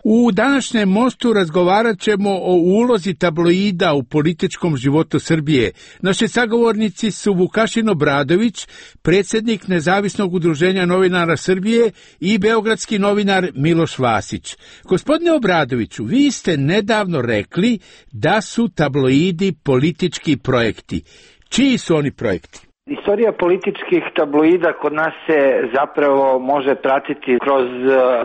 U današnjem Mostu razgovarat ćemo o ulozi tabloida u političkom životu Srbije. Naši sagovornici su Vukašin Obradović, predsjednik Nezavisnog udruženja novinara Srbije, i beogradski novinar Miloš Vasić. Gospodine Obradoviću, vi ste nedavno rekli da su tabloidi politički projekti. Čiji su oni projekti? Istorija političkih tabloida kod nas se zapravo može pratiti kroz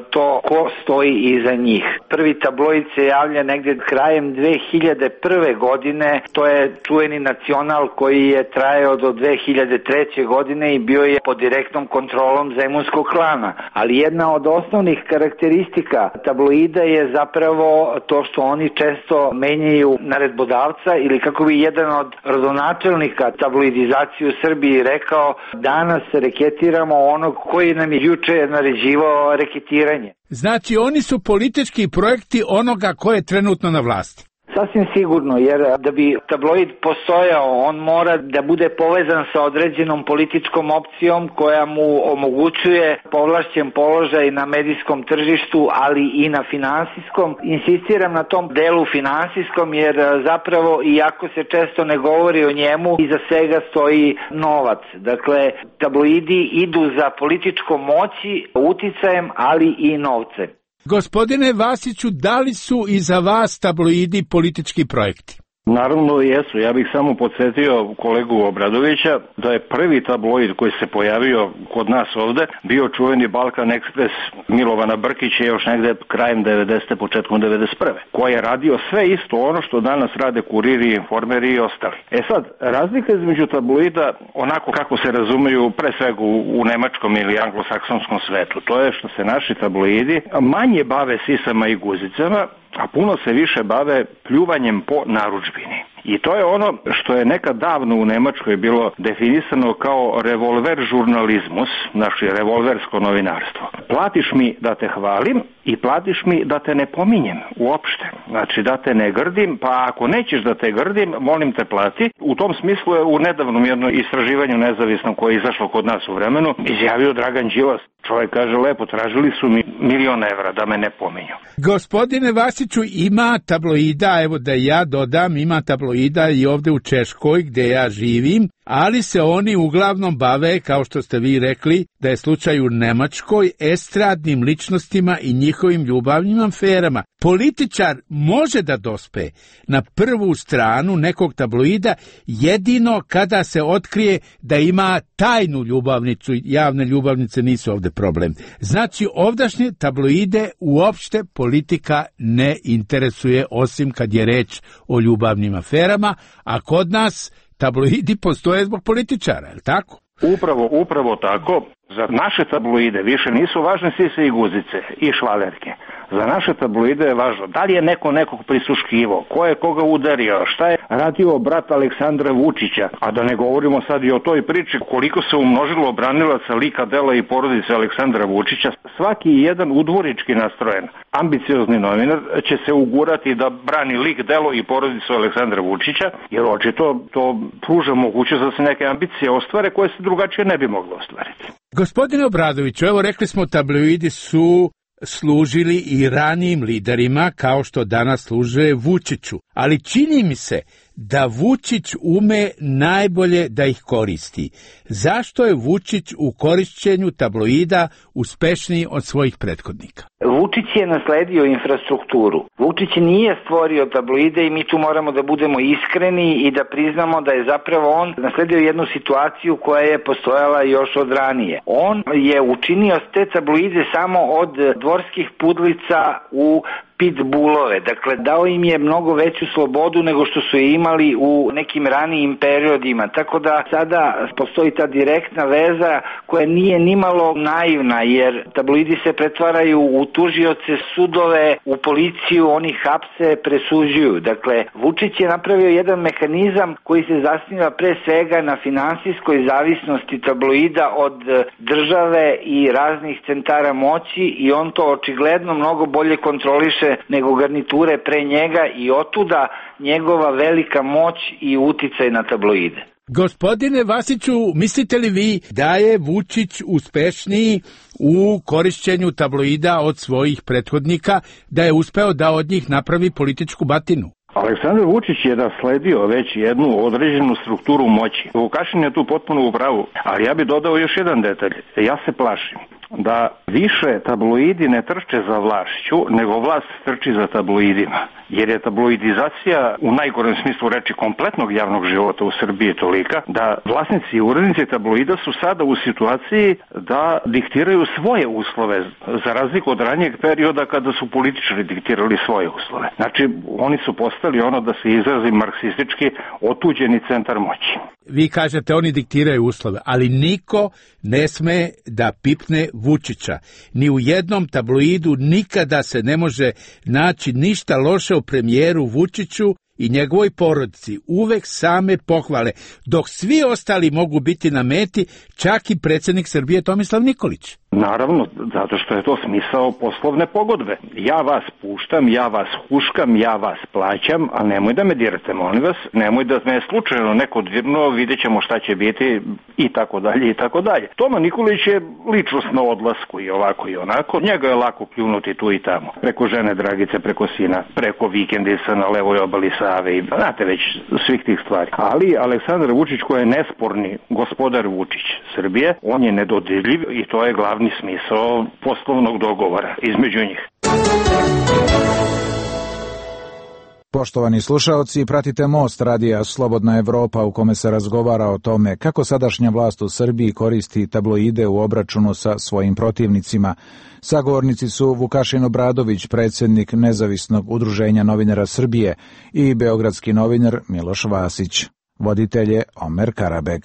to ko stoji iza njih. Prvi tabloid se javlja negdje krajem 2001. godine, to je čuveni Nacional koji je trajao do 2003. godine i bio je pod direktnom kontrolom zemunskog klana. Ali jedna od osnovnih karakteristika tabloida je zapravo to što oni često menjaju naredbodavca, ili kako bi jedan od rodonačelnika tabloidizacije u Srbiji rekao, danas reketiramo onog koji nam je juče naređivao reketiranje. Znači oni su politički projekti onoga ko je trenutno na vlasti. Sasvim sigurno, jer da bi tabloid postojao, on mora da bude povezan sa određenom političkom opcijom koja mu omogućuje povlašćen položaj na medijskom tržištu, ali i na finansijskom. Insistiram na tom delu finansijskom, jer zapravo, iako se često ne govori o njemu, iza svega stoji novac. Dakle, tabloidi idu za političkom moći, uticajem, ali i novcem. Gospodine Vasiću, da li su i za vas tabloidi politički projekti? Naravno jesu. Ja bih samo podsjetio kolegu Obradovića da je prvi tabloid koji se pojavio kod nas ovde bio čuveni Balkan Ekspres Milovana Brkića još negde krajem 90. početkom 91. koji je radio sve isto ono što danas rade Kuriri, Informeri i ostali. Sad, razlika između tabloida onako kako se razumeju pre svega u nemačkom ili anglosaksonskom svetu, to je što se naši tabloidi manje bave sisama i guzicama, a puno se više bave pljuvanjem po narudžbini. I to je ono što je nekad davno u Nemačkoj bilo definisano kao revolver žurnalizmus, znači revolversko novinarstvo. Platiš mi da te hvalim i platiš mi da te ne pominjem uopšte. Znači da te ne grdim, pa ako nećeš da te grdim, molim te plati. U tom smislu je u nedavnom jednom istraživanju nezavisnom koje je izašlo kod nas u vremenu izjavio Dragan Đilas. Čovjek kaže lepo, tražili su mi 1.000.000 evra da me ne pominju. Gospodine Vasiću, ima tabloida, evo da ja dodam, ima tabloida i ovde u Češkoj gde ja živim, ali se oni uglavnom bave, kao što ste vi rekli, da je slučaj u Nemačkoj, estradnim ličnostima i njihovim ljubavnim aferama. Političar može da dospe na prvu stranu nekog tabloida jedino kada se otkrije da ima tajnu ljubavnicu, javne ljubavnice nisu ovde problem. Znači, ovdašnje tabloide uopšte politika ne interesuje, osim kad je reč o ljubavnim aferama, a kod nas tabloidi postoje zbog političara, je li tako? Upravo tako. Za naše tabloide više nisu važne sise i guzice i švalerke. Za naše tabloide je važno da li je neko nekog prisluškivo, ko je koga udario, šta je radio brat Aleksandra Vučića, a da ne govorimo sad i o toj priči koliko se umnožilo branilaca lika, dela i porodice Aleksandra Vučića. Svaki jedan udvorički nastrojen, ambiciozni novinar će se ugurati da brani lik, delo i porodicu Aleksandra Vučića, jer očito to pruža mogućnost da se neke ambicije ostvare koje se drugačije ne bi mogle ostvariti. Gospodine Obradoviću, evo rekli smo tabloidi su služili i ranijim liderima kao što danas služe Vučiću, ali čini mi se da Vučić ume najbolje da ih koristi. Zašto je Vučić u korišćenju tabloida uspešniji od svojih prethodnika? Vučić je nasledio infrastrukturu. Vučić nije stvorio tabloide i mi tu moramo da budemo iskreni i da priznamo da je zapravo on nasledio jednu situaciju koja je postojala još od ranije. On je učinio te tabloide samo od dvorskih pudlica u pitbullove. Dakle, dao im je mnogo veću slobodu nego što su je imali u nekim ranijim periodima. Tako da sada postoji ta direktna veza koja nije nimalo naivna, jer tabloidi se pretvaraju u tužioce, sudove, u policiju, oni hapse, presuđuju. Dakle, Vučić je napravio jedan mehanizam koji se zasniva pre svega na finansijskoj zavisnosti tabloida od države i raznih centara moći i on to očigledno mnogo bolje kontroliše nego garniture pre njega i otuda njegova velika moć i uticaj na tabloide. Gospodine Vasiću, mislite li vi da je Vučić uspešniji u korišćenju tabloida od svojih prethodnika, da je uspeo da od njih napravi političku batinu? Aleksandar Vučić je nasledio već jednu određenu strukturu moći. Vukašin je tu potpuno u pravu, ali ja bih dodao još jedan detalj. Ja se plašim da više tabloidi ne trče za vlašću, nego vlast trči za tabloidima. Jer je tabloidizacija u najgorem smislu reči kompletnog javnog života u Srbiji tolika da vlasnici i urednici tabloida su sada u situaciji da diktiraju svoje uslove, za razliku od ranijeg perioda kada su političari diktirali svoje uslove. Znači, oni su postali ono, da se izrazi marksistički, otuđeni centar moći. Vi kažete oni diktiraju uslove, ali niko ne sme da pipne Vučića. Ni u jednom tabloidu nikada se ne može naći ništa loše o premijeru Vučiću i njegovoj porodici. Uvek same pohvale, dok svi ostali mogu biti na meti, čak i predsjednik Srbije Tomislav Nikolić. Naravno, zato što je to smisao poslovne pogodbe. Ja vas puštam, ja vas huškam, ja vas plaćam, a nemoj da me dirate, molim vas, nemoj da me slučajno neko dirno, vidjet ćemo šta će biti i tako dalje i tako dalje. Toma Nikolić je ličnost na odlasku i ovako i onako, njega je lako pljunuti tu i tamo, preko žene Dragice, preko sina, preko vikendica na levoj obali Save i znate već svih tih stvari. Ali Aleksandar Vučić, koji je nesporni gospodar Vučić Srbije, on je nedodirljiv i to je glavni smisao poslovnog dogovora između njih. Poštovani slušaoci, pratite Most radija Slobodna Evropa u kome se razgovara o tome kako sadašnja vlast u Srbiji koristi tabloide u obračunu sa svojim protivnicima. Sagovornici su Vukašin Obradović, predsjednik Nezavisnog udruženja novinara Srbije, i beogradski novinar Miloš Vasić. Voditelj je Omer Karabeg.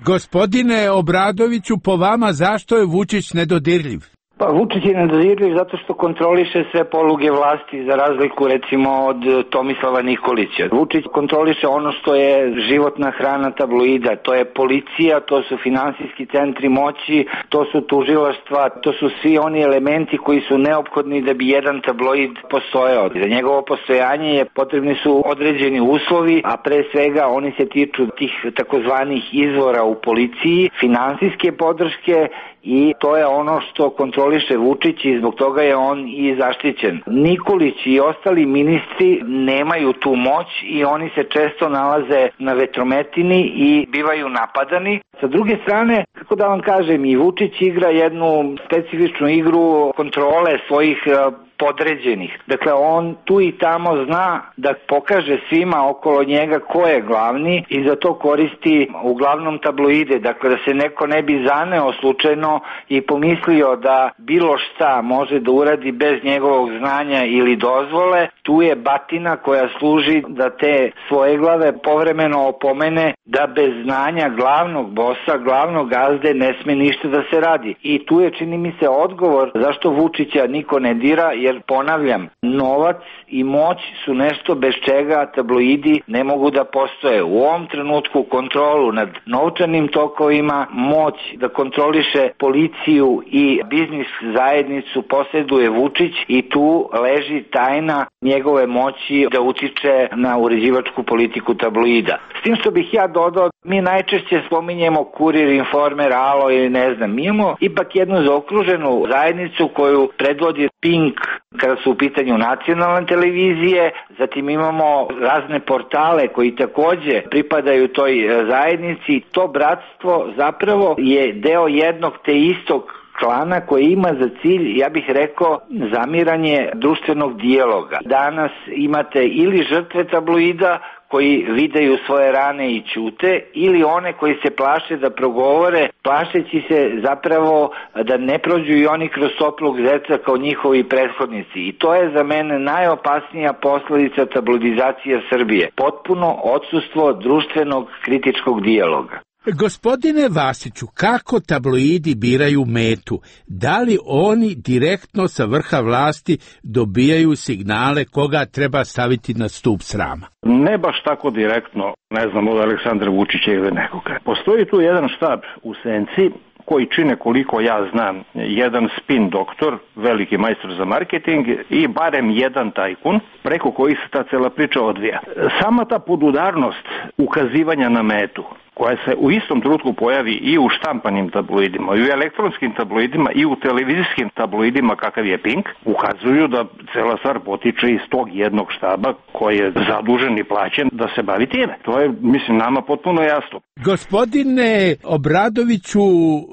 Gospodine Obradoviću, po vama zašto je Vučić nedodirljiv? Pa Vučić je nedodirljiv zato što kontroliše sve poluge vlasti, za razliku recimo od Tomislava Nikolića. Vučić kontroliše ono što je životna hrana tabloida, to je policija, to su finansijski centri moći, to su tužilaštva, to su svi oni elementi koji su neophodni da bi jedan tabloid postojao. Za njegovo postojanje potrebni su određeni uslovi, a pre svega oni se tiču tih takozvanih izvora u policiji, finansijske podrške, i to je ono što kontroliše Vučić i zbog toga je on i zaštićen. Nikolić i ostali ministri nemaju tu moć i oni se često nalaze na vetrometini i bivaju napadani. Sa druge strane, kako da vam kažem, i Vučić igra jednu specifičnu igru kontrole svojih podređenih. Dakle, on tu i tamo zna da pokaže svima okolo njega ko je glavni i za to koristi uglavnom tabloide. Dakle, da se neko ne bi zaneo slučajno i pomislio da bilo šta može da uradi bez njegovog znanja ili dozvole, tu je batina koja služi da te svoje glave povremeno opomene da bez znanja glavnog bosa, glavnog gazde ne sme ništa da se radi. I tu je, čini mi se, odgovor zašto Vučića niko ne dira, jer ponavljam, novac i moć su nešto bez čega tabloidi ne mogu da postoje. U ovom trenutku kontrolu nad novčanim tokovima, moć da kontroliše policiju i biznis zajednicu posjeduje Vučić i tu leži tajna njegove moći da utiče na uređivačku politiku tabloida. S tim što bih ja dodao, mi najčešće spominjemo Kurir, Informer, Alo ili ne znam. Mi imamo ipak jednu zaokruženu zajednicu koju predvodi Pink kada su u pitanju nacionalne televizije, zatim imamo razne portale koji takođe pripadaju toj zajednici. To bratstvo zapravo je deo jednog te istog klana koji ima za cilj, ja bih rekao, zamiranje društvenog dijaloga. Danas imate ili žrtve tabloida koji videju svoje rane i ćute, ili one koji se plaše da progovore, plašeći se zapravo da ne prođu i oni kroz toplog zeca kao njihovi prethodnici. I to je za mene najopasnija posledica tabloidizacije Srbije. Potpuno odsustvo društvenog kritičkog dijaloga. Gospodine Vasiću, kako tabloidi biraju metu? Da li oni direktno sa vrha vlasti dobijaju signale koga treba staviti na stup srama? Ne baš tako direktno, ne znam, od Aleksandra Vučića ili nekoga. Postoji tu jedan štab u senci koji čine, koliko ja znam, jedan spin doktor, veliki majstor za marketing i barem jedan tajkun preko kojih se ta cela priča odvija. Sama ta podudarnost ukazivanja na metu, koja se u istom trenutku pojavi i u štampanim tabloidima, i u elektronskim tabloidima, i u televizijskim tabloidima kakav je Pink, ukazuju da cela stvar potiče iz tog jednog štaba koji je zadužen i plaćen da se bavi time. To je, mislim, nama potpuno jasno. Gospodine Obradoviću,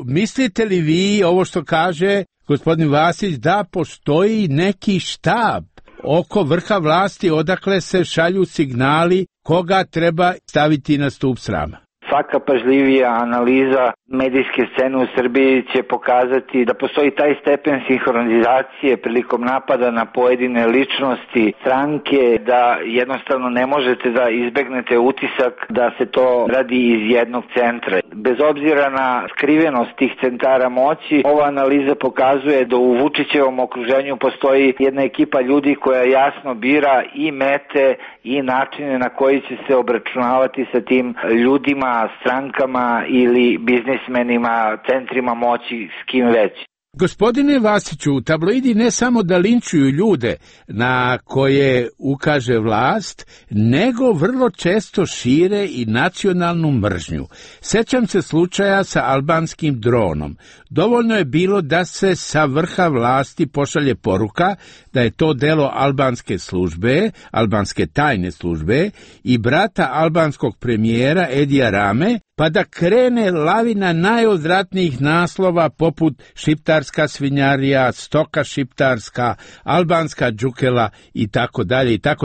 mislite li vi ovo što kaže gospodin Vasić da postoji neki štab oko vrha vlasti odakle se šalju signali koga treba staviti na stup srama? Svaka pažljivija analiza medijske scene u Srbiji će pokazati da postoji taj stepen sinhronizacije prilikom napada na pojedine ličnosti, stranke, da jednostavno ne možete da izbegnete utisak da se to radi iz jednog centra. Bez obzira na skrivenost tih centara moći, ova analiza pokazuje da u Vučićevom okruženju postoji jedna ekipa ljudi koja jasno bira i mete i načine na koji će se obračunavati sa tim ljudima, strankama ili biznismenima, centrima moći, s kim već. Gospodine Vasiću, tabloidi ne samo da linčuju ljude na koje ukaže vlast, nego vrlo često šire i nacionalnu mržnju. Sećam se slučaja sa albanskim dronom. Dovoljno je bilo da se sa vrha vlasti pošalje poruka da je to delo albanske službe, albanske tajne službe i brata albanskog premijera Edija Rame, pa da krene lavina najodvratnijih naslova poput šiptarska svinjarija, stoka šiptarska, albanska džukela i tako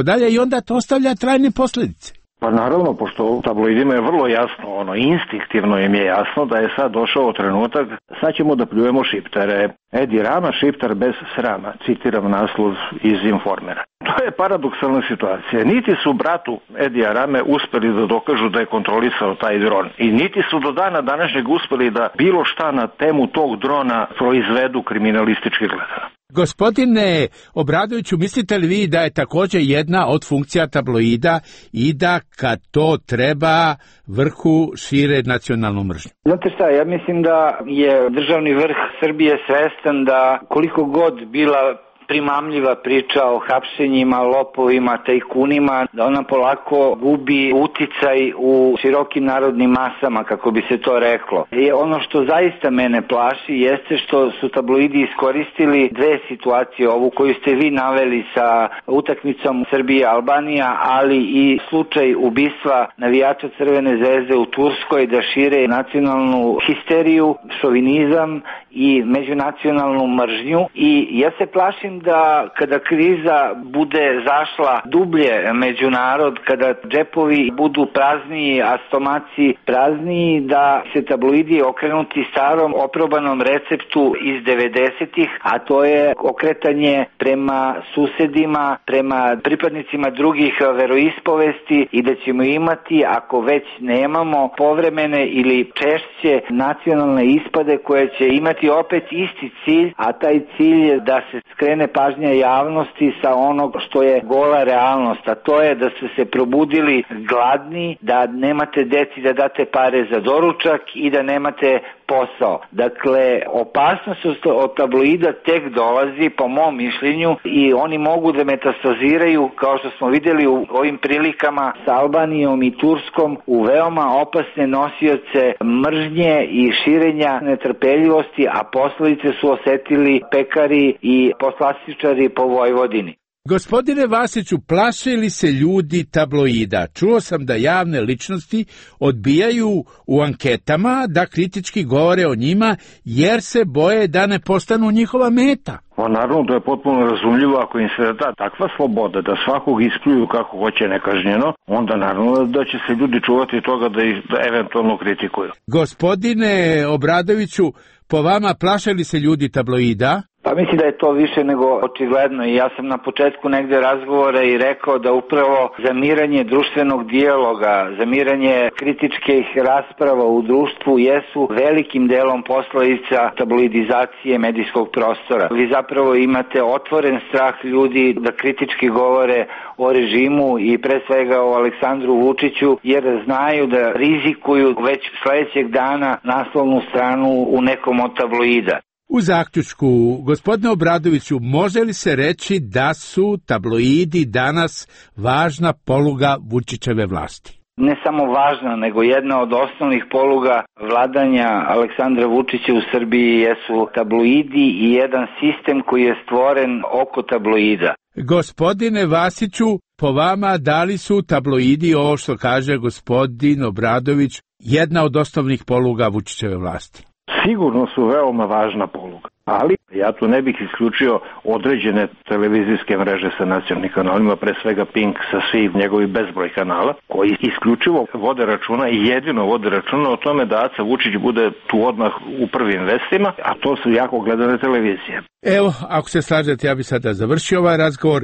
dalje i onda to ostavlja trajne posljedice. Pa naravno, pošto tabloidima je vrlo jasno, instinktivno im je jasno da je sad došao trenutak, sad ćemo da pljujemo šiptare. Edi Rama, šiptar bez srama, citiram naslov iz Informera. To je paradoksalna situacija. Niti su bratu Edija Rame uspeli da dokažu da je kontrolisao taj dron i niti su do dana današnjeg uspeli da bilo šta na temu tog drona proizvedu kriminalistički gledano. Gospodine Obradoviću, mislite li vi da je također jedna od funkcija tabloida i da kad to treba vrhu šire nacionalnu mržnju? Znate šta, ja mislim da je državni vrh Srbije svestan da koliko god bila primamljiva priča o hapšenjima, lopovima, tajkunima, da ona polako gubi uticaj u širokim narodnim masama, kako bi se to reklo. I ono što zaista mene plaši jeste što su tabloidi iskoristili dve situacije, ovu koju ste vi naveli sa utakmicom Srbija-Albanija, ali i slučaj ubistva navijača Crvene zvezde u Turskoj, da šire nacionalnu histeriju, šovinizam i međunacionalnu mržnju. I ja se plašim da kada kriza bude zašla dublje među narod, kada džepovi budu prazniji, a stomaci prazniji, da se tabloidi okrenuti starom oprobanom receptu iz 90-ih, a to je okretanje prema susedima, prema pripadnicima drugih veroispovesti i da ćemo imati, ako već nemamo, povremene ili češće nacionalne ispade koje će imati opet isti cilj, a taj cilj je da se skrene pažnja javnosti sa onog što je gola realnost, a to je da ste se probudili gladni, da nemate deci da date pare za doručak i da nemate posao. Dakle, opasnost od tabloida tek dolazi, po mom mišljenju, i oni mogu da metastaziraju, kao što smo vidjeli u ovim prilikama sa Albanijom i Turskom, u veoma opasne nosioce mržnje i širenja netrpeljivosti, a posledice su osetili pekari i poslastičari po Vojvodini. Gospodine Vasiću, plaše li se ljudi tabloida? Čuo sam da javne ličnosti odbijaju u anketama da kritički govore o njima jer se boje da ne postanu njihova meta. Pa naravno, to je potpuno razumljivo. Ako im se da takva sloboda da svakog ispljuju kako hoće nekažnjeno, onda naravno da će se ljudi čuvati toga da ih eventualno kritikuju. Gospodine Obradoviću, po vama plaše li se ljudi tabloida? Pa mislim da je to više nego očigledno i ja sam na početku negde razgovora i rekao da upravo zamiranje društvenog dijaloga, zamiranje kritičkih rasprava u društvu jesu velikim delom posledica tabloidizacije medijskog prostora. Vi zapravo imate otvoren strah ljudi da kritički govore o režimu i pre svega o Aleksandru Vučiću, jer znaju da rizikuju već sledećeg dana naslovnu stranu u nekom od tabloida. U zaključku, gospodine Obradoviću, može li se reći da su tabloidi danas važna poluga Vučićeve vlasti? Ne samo važna, nego jedna od osnovnih poluga vladanja Aleksandra Vučića u Srbiji jesu tabloidi i jedan sistem koji je stvoren oko tabloida. Gospodine Vasiću, po vama, da li su tabloidi, ovo što kaže gospodin Obradović, jedna od osnovnih poluga Vučićeve vlasti? Sigurno su veoma važna poluga, ali ja tu ne bih isključio određene televizijske mreže sa nacionalnim kanalima, pre svega Pink sa svih njegovih bezbroj kanala, koji isključivo vode računa i jedino vode računa o tome da Aca Vučić bude tu odmah u prvim vestima, a to su jako gledane televizije. Evo, ako se slažete, ja bih sada završio ovaj razgovor.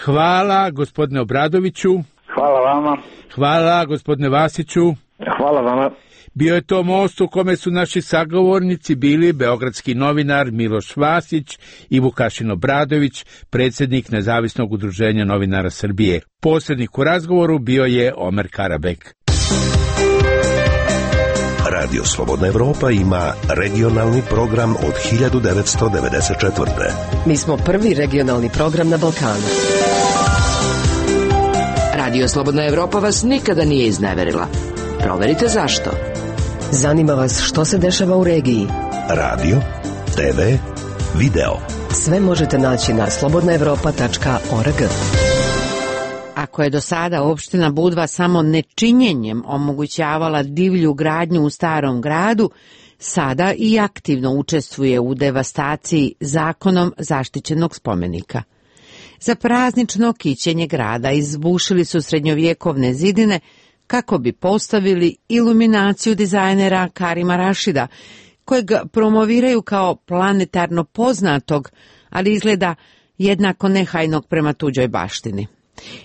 Hvala gospodine Obradoviću. Hvala vama. Hvala gospodine Vasiću. Hvala vama. Bio je to most u kome su naši sagovornici bili beogradski novinar Miloš Vasić i Vukašin Obradović, predsjednik Nezavisnog udruženja novinara Srbije. Posrednik u razgovoru bio je Omer Karabek. Radio Slobodna Evropa ima regionalni program od 1994. Mi smo prvi regionalni program na Balkanu. Radio Slobodna Evropa vas nikada nije izneverila. Proverite zašto. Zanima vas što se dešava u regiji. Radio, TV, video. Sve možete naći na slobodnaevropa.org. Ako je do sada opština Budva samo nečinjenjem omogućavala divlju gradnju u starom gradu, sada i aktivno učestvuje u devastaciji zakonom zaštićenog spomenika. Za praznično kićenje grada izbušili su srednjovjekovne zidine kako bi postavili iluminaciju dizajnera Karima Rašida, kojeg promoviraju kao planetarno poznatog, ali izgleda jednako nehajnog prema tuđoj baštini.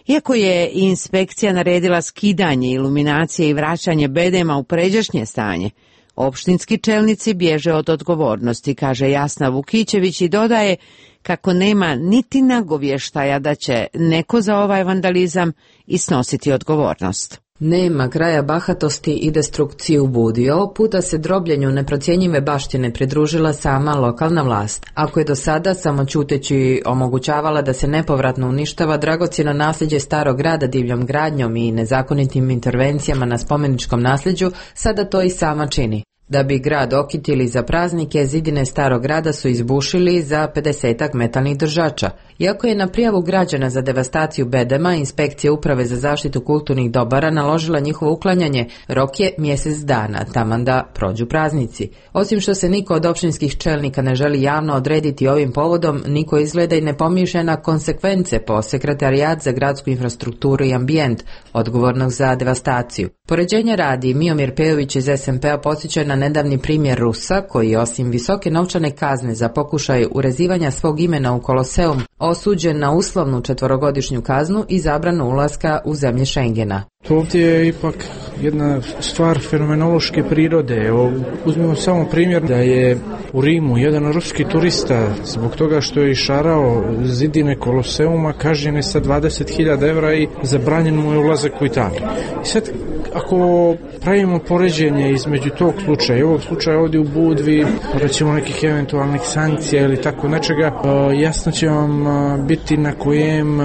Iako je inspekcija naredila skidanje iluminacije i vraćanje bedema u pređašnje stanje, opštinski čelnici bježe od odgovornosti, kaže Jasna Vukićević i dodaje kako nema niti nagovještaja da će neko za ovaj vandalizam i snositi odgovornost. Nema kraja bahatosti i destrukciji u Budi. Ovog puta se drobljenju neprocjenjive baštine pridružila sama lokalna vlast. Ako je do sada samo ćuteći omogućavala da se nepovratno uništava dragocjeno nasljeđe starog grada divljom gradnjom i nezakonitim intervencijama na spomeničkom nasljeđu, sada to i sama čini. Da bi grad okitili za praznike, zidine starog grada su izbušili za 50 metalnih držača. Iako je na prijavu građana za devastaciju bedema inspekcija Uprave za zaštitu kulturnih dobara naložila njihovo uklanjanje, rok je mjesec dana, taman da prođu praznici. Osim što se niko od opštinskih čelnika ne želi javno odrediti ovim povodom, niko izgleda i ne pomišlja na konsekvence po Sekretarijat za gradsku infrastrukturu i ambijent, odgovornog za devastaciju. Poređenja radi, Miomir Pejović iz SMP-a podsjeća na nedavni primjer Rusa, koji je osim visoke novčane kazne za pokušaj urezivanja svog imena u Koloseum osuđen na uslovnu 4-godišnju kaznu i zabranu ulaska u zemlje Schengena. Ovdje je ipak jedna stvar fenomenološke prirode. Evo, uzmimo samo primjer da je u Rimu jedan ruski turista zbog toga što je išarao zidine Koloseuma kažnjen je sa 20.000 evra i zabranjen mu je ulazak u Italiju. I sad, ako pravimo poređenje između tog slučaja i ovog slučaja ovdje u Budvi, recimo nekih eventualnih sankcija ili tako nečega, jasno će vam biti na kojem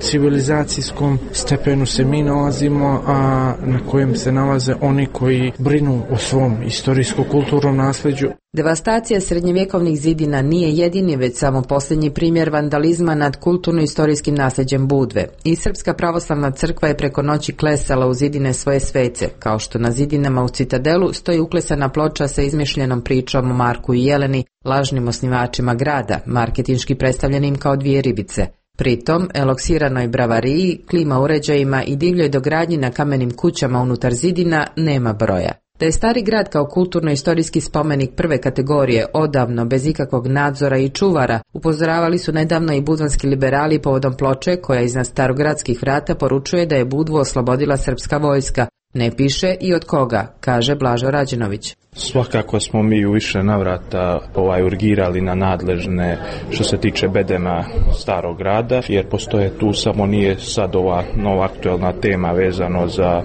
civilizacijskom stepenu se mi nalazimo, a na kojem se nalaze oni koji brinu o svom istorijsko-kulturnom nasljeđu. Devastacija srednjevjekovnih zidina nije jedini, već samo posljednji primjer vandalizma nad kulturno-istorijskim nasljeđem Budve. I Srpska pravoslavna crkva je preko noći klesala u zidine svoje svece, kao što na zidinama u Citadelu stoji uklesana ploča sa izmišljenom pričom o Marku i Jeleni, lažnim osnivačima grada, marketinški predstavljenim kao dvije ribice. Pritom, eloksiranoj bravariji, klima uređajima i divljoj dogradnji na kamenim kućama unutar zidina nema broja. Da je stari grad kao kulturno-istorijski spomenik prve kategorije odavno bez ikakvog nadzora i čuvara, upozoravali su nedavno i budvanski liberali povodom ploče koja iznad starogradskih vrata poručuje da je Budvu oslobodila srpska vojska. Ne piše i od koga, kaže Blažo Rađenović. Svakako smo mi u više navrata urgirali na nadležne što se tiče bedema starog grada, jer postoje tu, samo nije sad ova nova aktuelna tema vezano za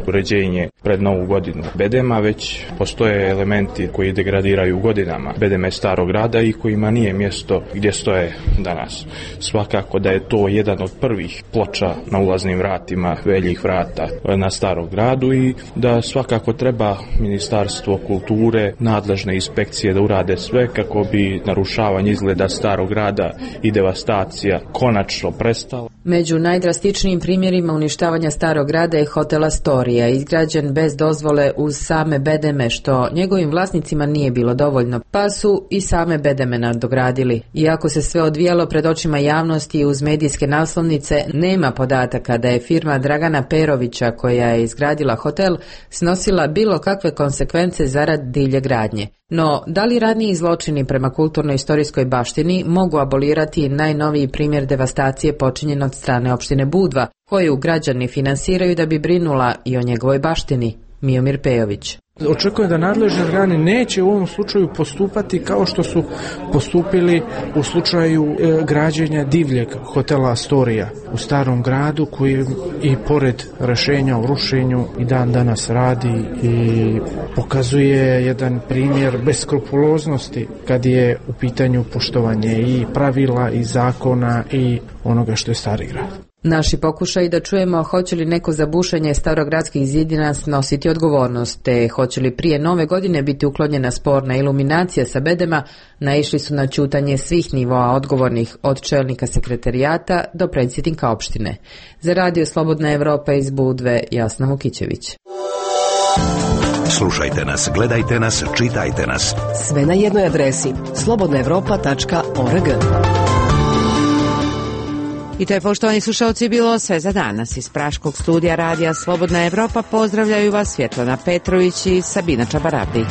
uređenje pred novu godinu bedema, već postoje elementi koji degradiraju godinama bedeme starog grada i kojima nije mjesto gdje stoje danas. Svakako da je to jedan od prvih ploča na ulaznim vratima, veljih vrata na starog gradu i da svakako treba Ministarstvo kulture, nadležne inspekcije da urade sve kako bi narušavanje izgleda starog grada i devastacija konačno prestala. Među najdrastičnijim primjerima uništavanja starog grada je hotel Astoria, izgrađen bez dozvole uz same bedeme, što njegovim vlasnicima nije bilo dovoljno, pa su i same bedeme nadogradili. Iako se sve odvijalo pred očima javnosti i uz medijske naslovnice, nema podataka da je firma Dragana Perovića, koja je izgradila hotel, snosila bilo kakve konsekvence zarad divlje gradnje. No, da li raniji zločini prema kulturno-istorijskoj baštini mogu abolirati najnoviji primjer devastacije počinjen od strane opštine Budva, koju građani finansiraju da bi brinula i o njegovoj baštini? Miomir Pejović. Očekujem da nadležni organi neće u ovom slučaju postupati kao što su postupili u slučaju građenja divljeg hotela Astoria u starom gradu, koji i pored rješenja o rušenju i dan danas radi i pokazuje jedan primjer beskrupuloznosti kad je u pitanju poštovanje i pravila i zakona i onoga što je stari grad. Naši pokušaj da čujemo hoće li neko za bušenje starogradskih zidina snositi odgovornost, te hoće li prije nove godine biti uklonjena sporna iluminacija sa bedema, naišli su na ćutanje svih nivoa odgovornih, od čelnika sekretarijata do predsjednika opštine. Za Radio Slobodna Evropa iz Budve, Jasna Vukićević. Slušajte nas, gledajte nas, čitajte nas. Sve na jednoj adresi slobodnaevropa.org. I to je, poštovani slušalci, bilo sve za danas. Iz praškog studija Radija Slobodna Evropa pozdravljaju vas Svjetlana Petrović i Sabina Čabaravdić.